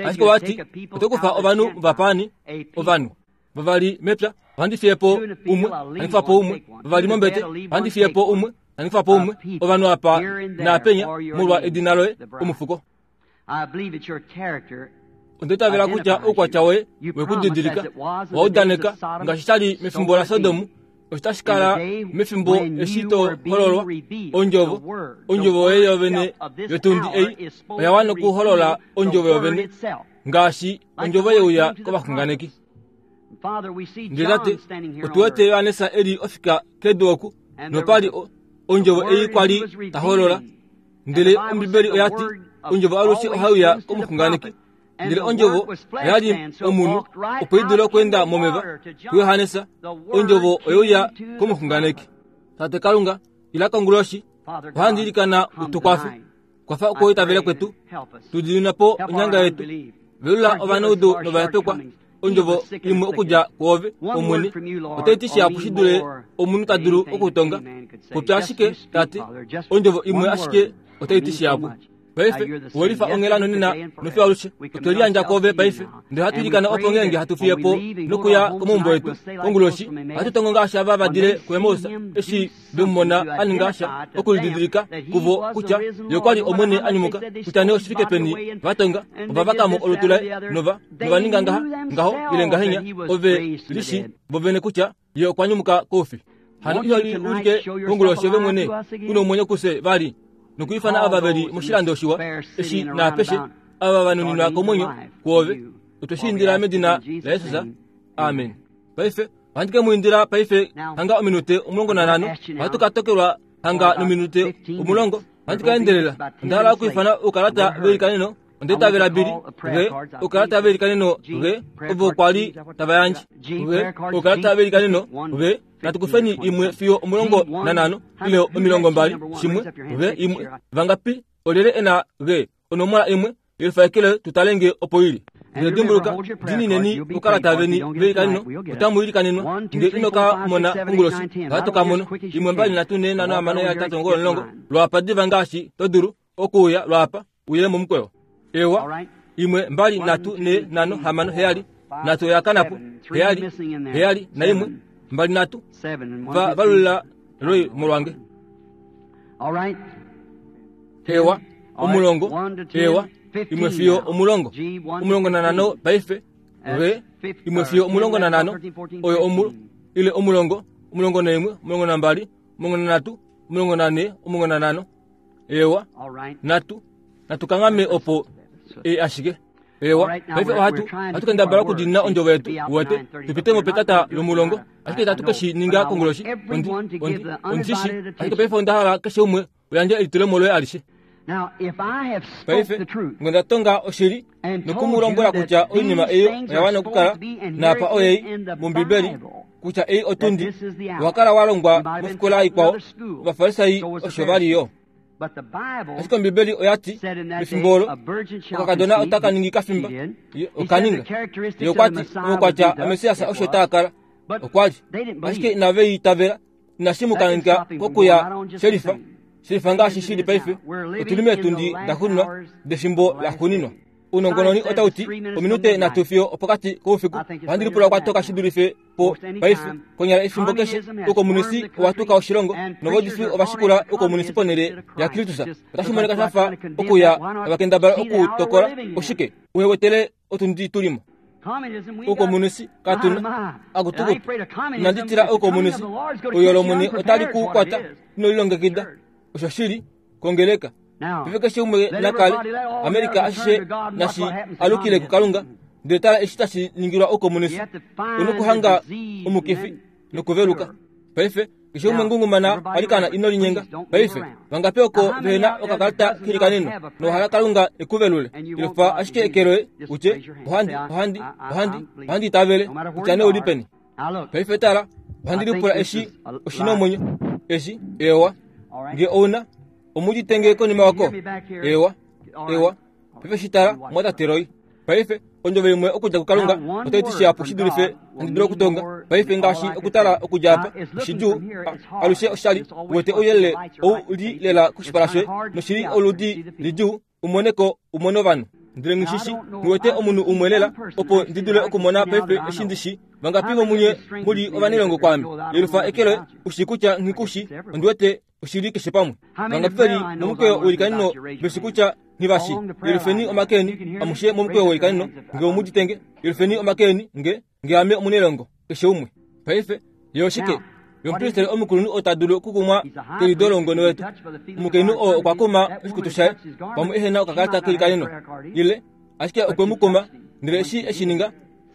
Ashike wati oto kufa ovanhu vapaani, ovanhu vavali mepya, ohandi fiye po umwe, handi kufa po umwe, vavali mombete, ohandi fiye po umwe, handi kufa po umwe, ovanhu apa naapenya molwa edina loye omufuko. Onda itavela kutya oukwatya woye wekudidilika wa udaneka ngaashi shali mefimbo laSodomu, otashi kala mefimbo eshi to hololwa ondjovo. Ondjovo yoye yovene yotundi ei oya wana okuholola ondjovo yovene ngaashi ondjovo yeuya kovaxunganeki. Ndele tate, otu wete Johannes eli ofika kedu oku, nopali ondjovo ei kwali ta holola. Ndele Ombibeli oya ti ondjovo alushe ohai uya komuxunganeki. Ndele ondjovo oyali omunhu opo i dule okweenda momeva kuJohannes. Ondjovo oyeuya komuxunganeki. Tate Kalunga, ila konguloshi, ohandi ilikana utukwafe. Kwafa okuitavela kwetu, tu diinina po onyanga yetu. Velula ovanaudu novahepekwa. Ondjovo imwe okudja kwoove, Omwene, otai ti shihapu shi dule omunhu ta dulu okutonga. Popya ashike, Tate, ondjovo imwe ashike otai ti shihapu. Paife welifa onghela nonena nofiyo alushe. Otwe liyandja kwoove paife, ndele hatu ilikana opo ngeenge hatu fiye po nokuya komaumbo etu konguloshi, ohatu tongo ngaashi ava va dile kuEmaus eshi vemumona a ninga sha okulididilika kuvo kutya ye okwa li Omwene a nyumuka, kutya nee oshifike peni va tonga, ova vaka mo olutu laye nova nova ninga ngaha ngaho ile ngahenya, ove lishi vovene kutya ye okwa nyumuka koufi. Hano iho li ulike konguloshi ove mwene u nomwenyo kufye vali, nokuifana ava veli moshilando shiwa eshi naapeshe ava va nuninwa komwenyo kwoove. Otwe shi indila medina laJesus. Amen. Paife Ohandi ke mu indila paife hanga ominute omulongo nanhano. Ohatu ka tokelwa hanga nominute omulongo. Ohandi ka endelela. Onda hala okwiifana oukalata veilikaneno. Onda itavela bili ge oukalata veilikaneno ge ovo kwa li tava yandje ge oukalata veilikaneno ge. Natukufeni imwe fiyo omulongo nanhano ile omilongo mbali shimwe ge imwe. Vangapi olyelye ena ge onomola imwe yefaekele tutalenge opo ili. Dimbuluka dinineni oukalata veni veilikaneno otamu ilikanenwa nge ino ka mona onguloshi. Ohatu ka mona imwe mbali nhatu nhee nhano hamano hetatu omugoyi omulongo lwapa diva ngaashi to dulu okuuya lwapa uye momukweyo. Ewa imwe mbali nhatu nhee nhano hamano heyali nhatu oyakanapo heyali heyali naimwe mbali nhatu va valula loi molwange. Ewa omulongo ewa imwe fiyo omulongo omulongo nanhano paife ge imwe fiyo omulongo nanhano oyo omu ile omulongo omulongo naimwe omulongo nambali omulongo nanhatu omulongo nanhe omulongo nanhano ewa nhatu natukangame opo e ashike. Ewa paife ohatu ohatu kendabala okudinina ondjovo yetu uwete tupite mopetata lomulongo ashike itatu keshi ninga konguloshi ondi ondi ondishi ashike paife onda hala keshe umwe uyandje elitulemo loye alishe. Paife ngonda tonga oshili nokumulombola kutya oinima eyo oya wana okukala naapa oyei mOmbibeli kutya ei otundi wakala walongwa mofikola ikwao Ovafarisai osho vali yo. Ashike Ombibeli oya ti mefimbo olo okakadona otaka ningi kafimba okaninga ye okwa ti omaukwatya aMessias osho taa kala okwa li ashike inave itavela inashi mu kaninga kokuya shelifa shelifa ngaashi shili paife. Otuli meetundi daxuuninwa defimbo laxuuninwa. Ounongononi otau ti ominute nhatu fiyo opokati koufiku. Ohandi lipula okwa toka shi dulife po paife konyala efimbo keshe. Oukomunisi owa tuka oshilongo novaudifi ova shikula oukomunisi ponhele yaKristus. Otashi monika sha fa okuya tava okutokola oshike uhewetele otundi tulimo. Oukomunisi katuna akutukutu. Inandi tila oukomunisi oyo lomwene otali ku kwata ino lilongekida. Osho shili kongeleka. Paife keshe umwe nakale Amerika ashishe nashi alukile kuKalunga ndele tala eshi tashi ningilwa oukomunisi onokuhanga omukifi nokuveluka. Paife keshe umwe ngungumana alikana ino linyenga. Paife vangapi oko vehena okakalata kelikaneno nohala Kalunga ekuvelule ilofa ashike ekeloye utye ohandi ohandi ohandi ohandi itavele kutya nee uli peni. Paife tala ohandi lipula eshi oshina omwenyo eshi ewa nge ouna omuditenge konima wako ewa ewa paife shitala mwatateroi. Paife ondjovo imwe okudja kuKalunga otai ti shihapu shi dulife handi dulu okutonga. Paife ngaashi okutala okudja apa oshidjuu alushe oshali uwete ouyelele ou li lela koshipala shoye noshili oludi lidjuu umoneko umone ovanhu. Ndele ngishishi ngiwete omunhu umwe lela opo ndi dule okumona paife eshi ndishi vangapi vomunye muli ovanelongo kwaame yelufa ekelo ushi kutya nghikushi ondiwete oshili keshe pamwe. Vangapi veli momukweyo weilikaneno veshi kutya nghivashi yelufeni omakeni amushe momukweyo weilikaneno nge omuditenge yelufeni omakeni nge nge ame omunelongo keshe umwe. Paife ye oshike yomupristeli omukulunhu ota dulu okukumwa kelido longono wetu. Omukainhu oo okwa kuma oshikutu shaye pamwe ehena okakalata kelikaneno ile ashike okwe mu kuma ndele eshi eshi ninga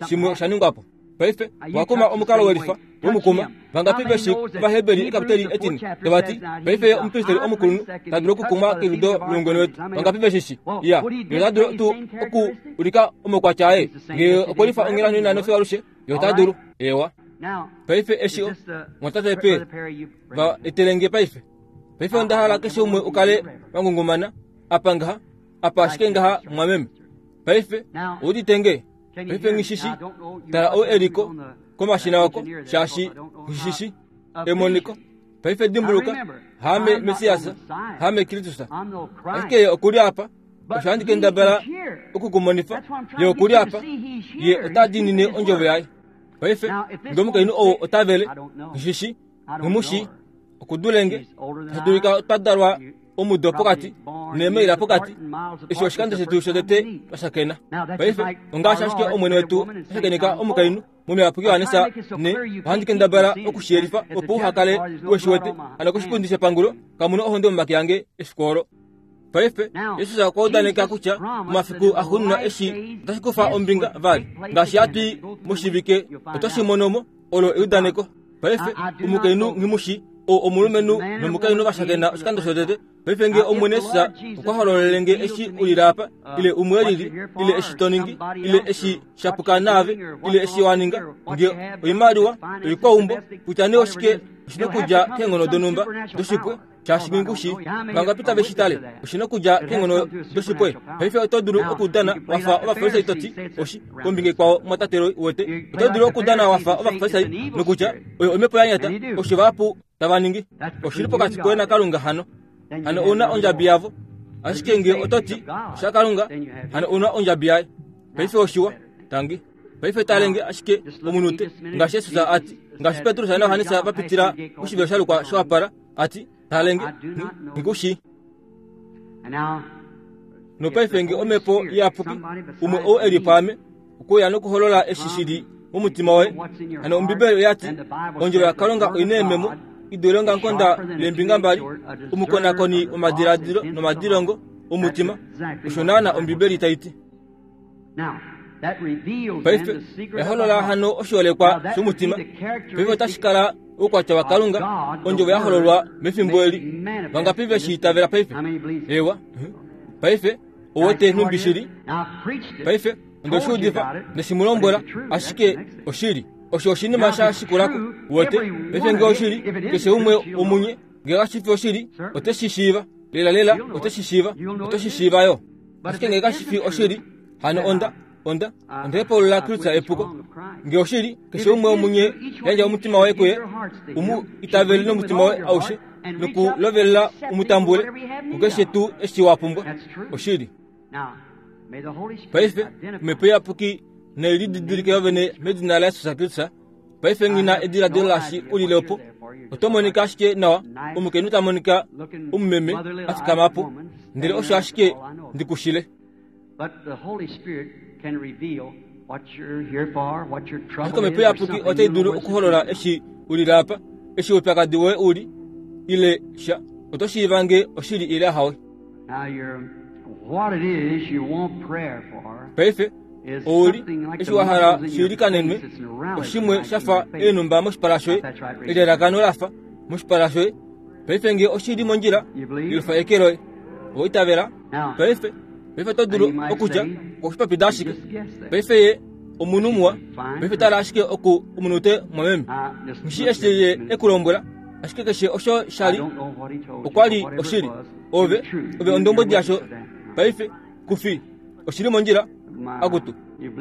shimwe osha ningwapo. Paife wakuma omukalo welifa womukuma vangapi veshi Ovaheberi ekapiteli etine tavati paife omupristeli omukulunhu ta dulu okukumwa kelido longono wetu. Vangapi veshishi ya ye ota dulu tuu okuulika omaukwatya aye nge okwelifa onghelano inano fiyo alushe ye ota dulu ewa. Paife eshi mwatate pe va etelenge paife. Paife onda hala keshe umwe ukale wangungumana apa ngaha apa ashike ngaha mwameme. Paife ouditenge paife ngishishi tala ou eliko komashina wako shaashi ngishishi emoniko. Paife dimbuluka hame Messias hame Kristus ashike ye okuli apa osho handi kendabala okukumonifa ye okuli apa ye ota diinine ondjovo yaye. Paife nge omukainhu ou otavele ngishishi ngimushi okudulenge tadulika twadalwa omudo pokati neemaila pokati eshi oshikando shetu shotete twashakena. Paife ongaashi ashike omwene wetu ashakeneka omukainhu momiyapuki Yohanesa ne ohandi kendabala okushiyelifa opo uhakale weshiwete hano koshipundi shepangulo kamuna ohonde momake ange efiku olo. Paife Jesus okwa udaneka kutya momafiku axuuninwa eshi otashi kufa ombinga vali ngaashi hatui moshivike otoshi monomo Olo eudaneko. Paife omukainhu nghimushi ou omulumenhu nomukainhu vashakena oshikando shotete. Paife nge Omwene Jesus okwa hololele nge eshi ulila apa, ile umwe lili, ile eshi to ningi, ile eshi shapuka naave, ile eshi wa ninga, nge oimaliwa, oikwaumbo, kutya nee oshike oshina okudja keenghono donhumba doshipwe, shaashi ngingushi vangapi tave shi tale, oshina okudja keenghono doshipwe. Paife oto dulu okudana wafa Ovafarisai to ti oshi kombinga ikwao mwatate wete. Oto dulu okudana wafa Ovafarisai nokutya oyo omhepo ya nyata, osho vahapu tava ningi. Oshili pokati koye naKalunga hano. Hano ouna ondjabi yavo. Ashike nge oto ti oshaKalunga, hano ouna ondjabi yaye. Paife oshiwa, tangi. Paife talenge ashike omunute ngaashi Jesus ati, ngaashi Petrus naJohannes va pitila poshivelo sha lukwa showapala, ati talenge ngikushi. Nopaife nge omhepo iyapuki umwe ou eli paame okuya nokuholola eshi shili momutima woye. Hano Ombibeli oyati ondjovo yaKalunga oina eememo idule ongakonda leembinga mbali, omukonakoni womadiladilo nomadilongo omutima. Osho naana Ombibeli tai ti. Paife eholola hano oshiholekwa shomutima. Paife otashi kala oukwatya waKalunga, ondjovo ya hololwa mefimbo eli. Vangapi ve shi itavela paife? Ewa. Paife owete nhumbi shili. Paife onde shi udifa neshimulombwela, ashike oshili. Osho oshinima sha shikulako wete. Paife nge oshili, keshe umwe omunye nge kashifi oshili, ote shi shiiva. Lela lela ote shi shiiva, ote shi shiiva yo. Ashike nge kashifi oshili, hano onda onda ondehepaulula Kristo epuko. Nge oshili, keshe umwe omunye yandja omutima waye kuye, umu itavele nomutima waye aushe, nokulovelela umutambule kukeshe tuu eshi wa pumbwa. Oshili. Paife omhepo iyapuki nelididilike yovene medina laJesus Kristus. Paife ngina ediladilo lashi ulile opo. Oto monika ashike nawa, omukainhu ta monika omumeme a fikama po, ndele osho ashike ndikushile. Ashike omhepo iyapuki otai dulu okuholola eshi ulile apa, eshi oupyakadi woye uli, ile sha. Oto shiiva nge oshili ile hawe. Paife ouli eshi wa hala shiilikanenwe, oshimwe shafa eenhumba moshipala shoye, elalakano lafa moshipala shoye. Paife nge oshili mondjila, ilufa eke loye. Oitavela. Paife paife oto dulu okutya oshipapida ashike. Paife ye omunhu muwa. Paife tala ashike oku omunute mwameme. Ngishi eshi ye ekulombwela, ashike keshe osho shali okwa li oshili. Ove ove ondombodi yasho. Paife kufi oshili mondjila akutu.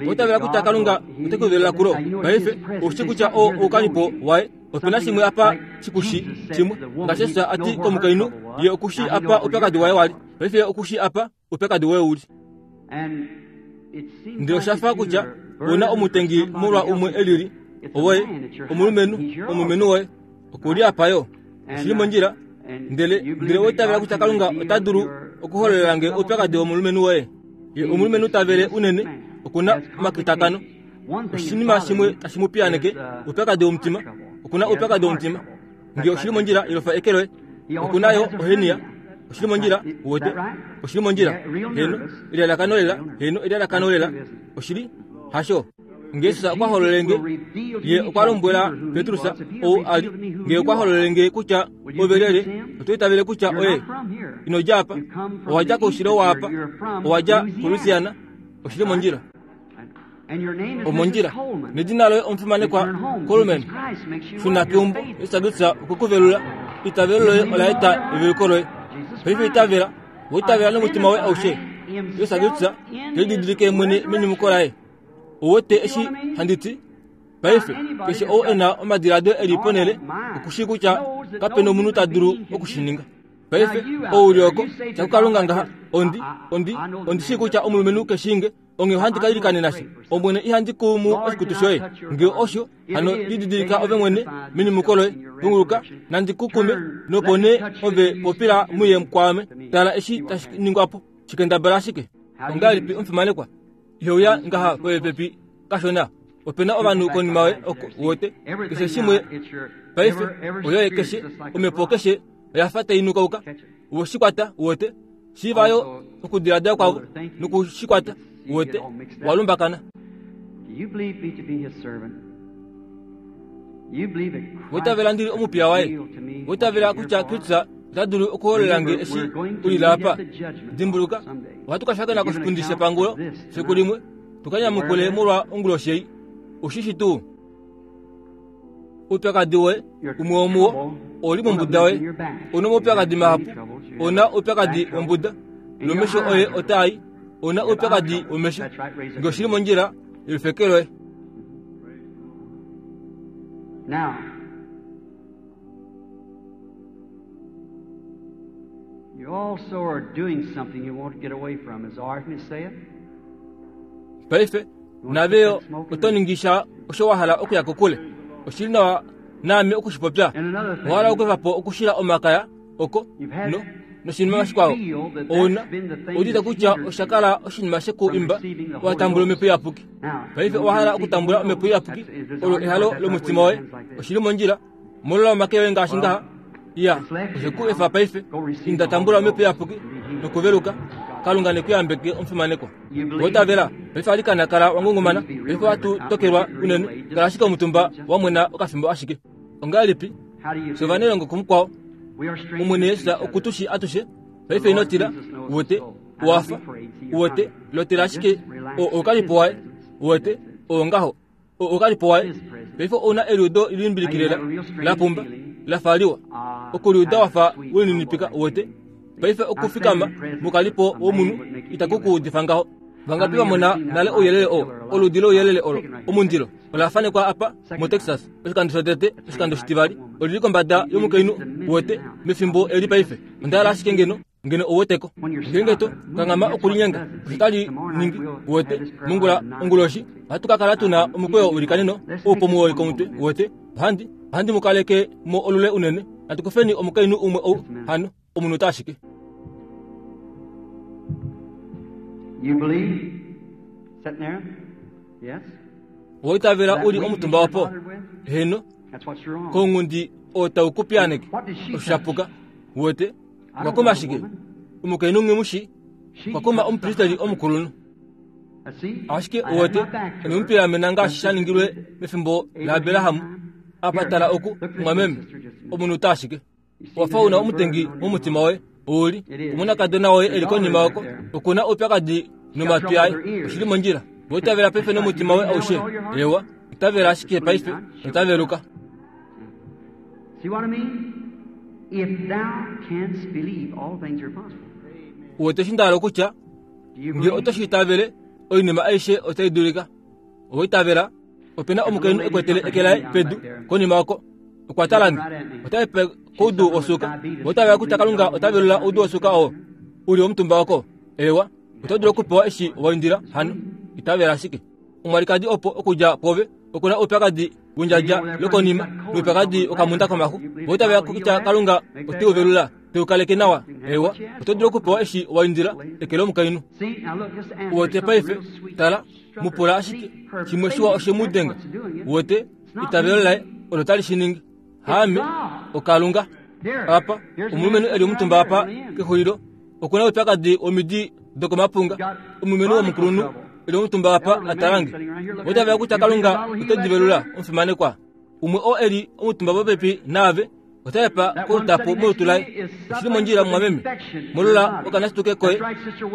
Oitavela kutya Kalunga ote kuvelela kulo. Paife oshi kutya o oukanipo waye opena shimwe apa shikushi shimwe ngaashi Jesus ati komukainhu, ye okushi apa oupyakadi waye wali. Paife okushi apa oupyakadi woye uli. Ndele oshafa kutya una omutengi molwa umwe elili owoye omulumenhu omulumenhu woye okuli apa yo oshili mondjila. Ndele ndele oitavela kutya Kalunga ota dulu okuhololela nge oupyakadi womulumenhu woye. Ye omulumenhu tavele unene okuna omakitakano. Oshinima shimwe tashi mu piyaneke, oupyakadi womutima. Okuna oupyakadi womutima. Nge oshili mondjila ilofa eke loye. Okuna yo ohenia. Oshili mondjila wote. Oshili mondjila. Heno elalakano lela, heno elalakano lela. Oshili hasho. Nge Jesus okwa hololele nge, ye okwa lombwela Petrus ou ali, nge okwa hololele nge kutya ovelele, oto itavele kutya oye ino dja apa, owa dja koushilo waapa, owa dja kuLouisiana. Oshili mondjila. Omondjila. Nedina loye omufimanekwa Coleman. Shuna keumbo, Jesus Kristus okwe ku velula. Itavelo loye ola eta eveluko loye. Paife itavela, oitavela nomutima woye aushe. Jesus Kristus telididilike mwene menyumuko laye. Owete eshi handiti. Paife keshe ou ena omadiladilo eli ponele okushi kutya kapena omunhu ta dulu okushininga. Paife ouli oko tyakuKalunga ngaha ondi ondi ondi shii kutya omulumenhu keshinge onge ohandi ka ilikanena she. Omwene ihandi kumu oshikutu shoye. Nge osho hano lididilika ove mwene menyumuko loye. Punguluka nandi kukume nopo nee ove popila muye kwaame. Tala eshi tashi ningwapo shikendabala ashike. Ongahelipi omufimanekwa? Iheuya ngaha popepi kashona. Opena ovanhu konima yoye oko wote keshe shimwe. Paife oyoye keshe omhepo keshe oya fa tai nukauka. Uweshikwata wote shiivayo okudiladila kwavo nokushikwata wote walumbakana.
Do you believe me to be his servant?
Wotavela ndili omupiya waye. Wotavela kutya Kristus ota dulu okuholola nge eshi ulila apa. Dimbuluka, ohatu ka shakena koshipundi shepangulo fiku limwe, tukanyamukule molwa onguloshi ei. Oshishi tuu. Oupyakadi woye umwe womuwo oli mombuda woye. Ona omaupyakadi mahapu, ona oupyakadi wombuda, nomesho oye otaa i. Ona oupyakadi womesho. Nge oshili mondjila, elufeke loye.
Now, you also are doing something you won't get away from. Is all right for me to say it?
Paife, naveyo otoningisha osho wa hala okuya kokule. Oshili nawa naame okushipopya. Owa okwefapo okushila omakaya oko no noshinima shikwao. Ona odita kutya oshakala oshinima shekuimba watambula omhepo iyapuki. Paife owa hala okutambula omhepo iyapuki olo ehalo lomutima woye. Oshili mondjila molola omake yoye ngaashi ngaha. Ya, osheku efa paife inda tambula omhepo iyapuki nokuveluka. Kalunga nekuyambeke omufimanekwa. Wotavela paife alikana kala wangungumana. Paife watu tokelwa unene kala ashike omutumba wamwena okafimbo ashike. Ongahelipi sovanelongo kumukwao Omwene Yesu okutushi atushe. Paife inotila wote wafa wote lotela ashike okalipo waye wote ongaho okalipo waye. Paife ona eludo ilimbilikilela lapumba lafaliwa okuliuda wafa weninipika wote. Paife okufikama mukalipo womunu itakukuudifa ngaho. Vangapi vamona nale ouyelele o oludi louyelele olo omundilo olafanekwa apa mu Texas oshikando shotete oshikando shitivali olili kombada yomukainhu wote mefimbo eli paife. Onda ashike ngeno ngeno owoteko ngenge to kangama okulinyenga oshitali ningi wote mongula onguloshi ohatu ka kala tuna omukweyo ulikaneno oupomuwoi komutwe wote. Ohandi ohandi mukaleke mo olule unene atukufeni omukainhu umwe ou hano omunhu ashike.
You believe? Sitting there? Yes?
Woitavela uli omutumba wapo. Heno kongundi otaukupianeke oshapuka wote wakoma ashike omukainhu ngemushi wakoma omupristeli omukulunhu ashike wote emupira ngaashi shaningilwe mefimbo laAbraham apatala oku mwameme omunhu ashike wafa una omutengi momutima woye uli omunakadona woye eli konima wako okuna oupyakadi nomatwi aye oshili mondjila. Wotavela paife nomutima woye aushe. Ewa itavela ashike paife otaveluka.
See what I mean? If thou canst believe, all things are possible.
Wote shindalo kutya nge otoshitavele oinima aishe otai dulika. Oitavela opena omukainhu ekwetele ekelaye pedu konima wako okwatalani otaipe koudu osuka. Otavela kutya Kalunga otavelula oudu osuka oo uli omutumba wako. Ewa otodula okupewa eshi waindila hano itavela ashike. Omwalikadi opo okudja pove okuna oupyakadi wendjadja lokonima noupyakadi okamunda komaxu. Otavela kutya Kalunga oteuvelula teukaleke nawa. Ewa otodula okupewa eshi waindila ekele omukainhu. Wote paife tala mupula ashike shimwe shiwa oshemudenga. Wote itavelo laye olo tali shiningi. Haame okalunga apa omulumenhu eli omutumba apa kexulilo okuna oupyakadi womidi dokomapunga. Omulumenhu womukulunhu eli omutumba apa atalange. Otavela kutya Kalunga otedivelula omufimanekwa. Umwe oo eli omutumba popepi naave otaepa kolutapo molutu laye. Oshili mondjila mwameme molola okanasituke koye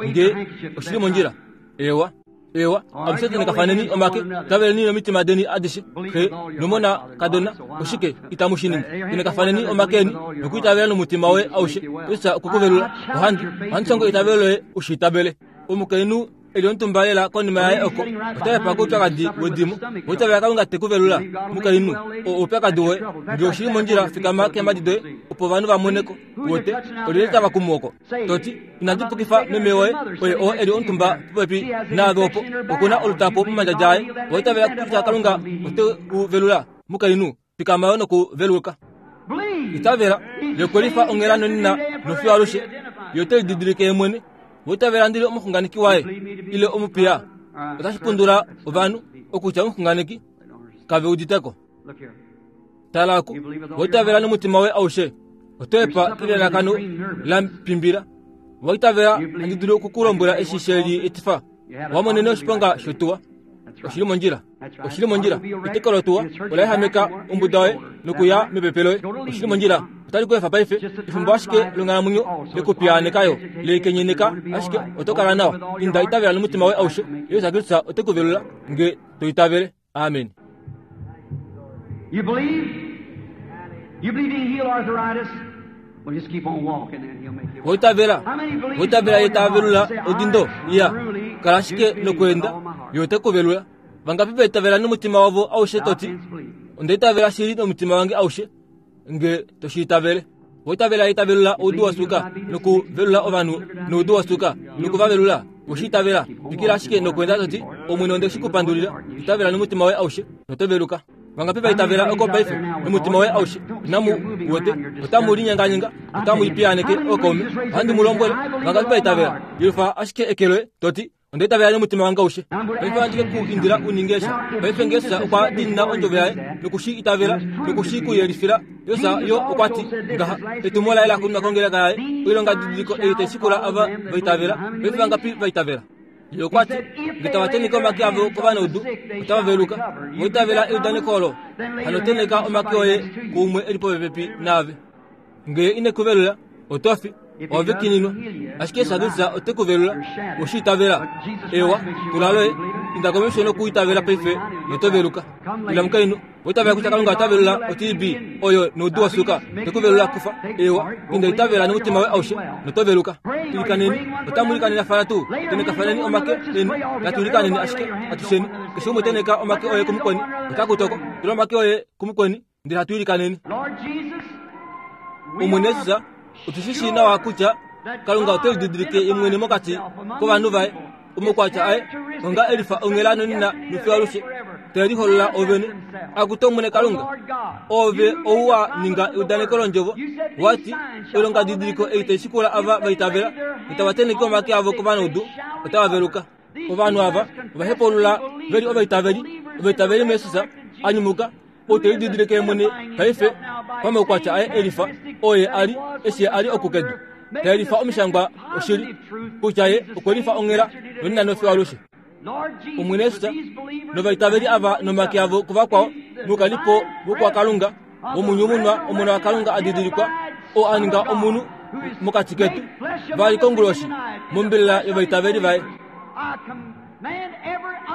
nge oshili mondjila. Ewa ewa amusetene kafaneni omake taveleni nomitima deni adishe xe nomona kadona oshike itamushiningi ine kafaneni omakeni nokuitavela nomutima woye aushe Kristo okukuvelula ohandi ohandi songo itavelo loye ushiitavele. Omukainhu eli omutumba lela konima yaye oko otaepa koupyakadi wedimo. Otavela Kalunga tekuvelula mukainhu oupyakadi woye nge oshili mondjila fikama keemadi doye opo ovanhu vamoneko wote olile tava kumu oko toti inandi pukifa meme woye oye oo eli omutumba popepi naave opo okuna olutapo momandjadja aye. Otavela kutya Kalunga oteuvelula mukainhu fikama yo nokuveluka. Itavela lekwelifa onghela nonina nofiyo alushe yo otelididilike ye mwene. Wotavela ndili omuxunganeki waye ile omupiya otashi pundula ovanhu okutya omuxunganeki kave uditeko. Talako wotavela nomutima woye aushe otoepa kelelakano lampimbila. Waitavela handi dulu okukulombwela eshi sheli etifa wamonene oshiponga shotuwa. Oshili mondjila. Oshili mondjila. Eteko lotuwa ola ehameka ombuda yoye nokuya mepepe loye. Oshili mondjila. Otali ku efa paife. Efimbo ashike longhalamwenyo lekupiyaanekayo lekenyeneka ashike oto kala nawa. Inda itavela nomutima woye aushe. Jesus Kristus ote ku velula nge to itavele. Amen.
You believe? You believe he can heal arthritis? Well, just keep on walking and he'll make you.
Woitavela. Woitavela ye tavelula odindo. Iya. Kala ashike nokuenda ye ote ku velula. Vangapi vaitavela nomutima wavo aushe toti. Onda itavela shili nomutima wange aushe nge toshiitavele. Woitavela ye tavelula oudu wasuka nokuvelula ovanhu noudu wasuka nokuvavelula. Oshiitavela. Twikila ashike nokuenda toti Omwene onde shi kupandulila. Itavela nomutima woye aushe notoveluka. Vangapi vaitavela oko paife nomutima woye aushe. Inamu wete otamu linyenganyenga otamu ipiyaaneke ookaume. Ohandi mu lombwele vangapi vaitavela. Yelufa ashike eke loye toti onda itavela nomutima wange aushe. Paife ohandi ke ku indila u ninge sha. Paife nge Jesus okwa diinina ondjovo yaye nokushi itavela nokushi ku yelifila. Jesus yo okwa ti ngaha etumo laye la xuuninwa kongeleka yaye oilonga didiliko ei tai shikula ava vaitavela. Paife vangapi vaitavela? Ye okwa ti nge tava tenheke omake avo kovanaudu otava veluka. Woitavela eudaneko olo hano tenheka omake oye kuumwe eli popepi naave. Nge ine ku velula oto fi ove kininwa. Ashike Jesus Kristus ote ku velula oshiitavela. Ewa tula loye inda komesho nokuitavela paife noto veluka. Ila mukainhu woitavela kutya Kalunga ota velula o T B oyo noudu wasuka te ku velula kufa. Ewa inda itavela nomutima woye aushe noto veluka. Ilikaneni otamu ilikanena fana tuu. Tenekafaneni omake eni natu ilikaneni ashike atusheni. Keshe umwe teneka omake oye kumukweni otakutoko. Tula omake oye kumukweni ndele hatu ilikaneni. Omwene Jesus otushi nawa kutya Kalunga ote lididilike ye mwene mokati kovanhu vaye omukwatya aye onga elifa onghela nonina nofiwalushe te liholola ovene. Akutu Omwene Kalunga ove ou wa ninga eudaneko londjovo wati oilonga didiliko ei tai shikula ava vaitavela itava tenheke omake avo kovanaudu otava veluka. Ovanhu ava ovahepaulula veli ovaitaveli ovaitaveli muJesus a nyumuka ou te lididilike ye mwene paife pamaukwatya aye elifa oye ali eshi ali okukedu te lifa omishangwa oshili kutya ye okwe lifa onghela nonina nofiwalushe. Omwene Jesus novaitaveli ava nomake avo kuvakwao mukalipo vokwakalunga womunyumunwa omona wakalunga a didilikwa oo a ninga omunhu mokati ketu vali konguloshi mombelela yovaitaveli vaye.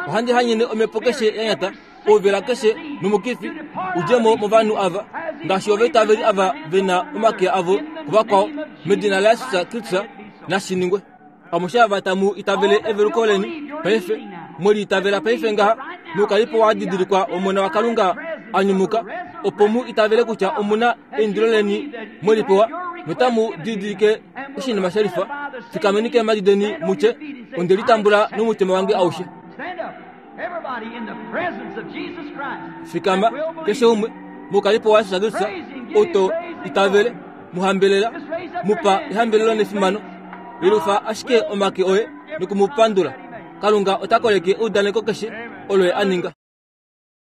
Ohandi hanyene omhepo keshe ya nyata ouvela keshe nomukifi udjemo movanhu ava ngaashi ovaitaveli ava vena omake avo kuvakwao medina laJesus Kristus nashiningwe. Amushe ava tamu itavele eveluko leni paife mweli itavela paife ngaha mukalipo wa didilikwa omona wakalunga a nyumuka opo mu itavele kutya omuna eindilo leni mwelipewa notamu didilike oshinima shelifa. Fikameni keemhadi deni mutye onde litambula nomutima wange aushe. Fikama keshe umwe mukalipo wa Jesus Kristus oto itavele muhambelela mupa ehambelelo nefimano. Yelufa ashike omake oye nokumupandula. Kalunga ota koleke eudaneko keshe olo ye a ninga.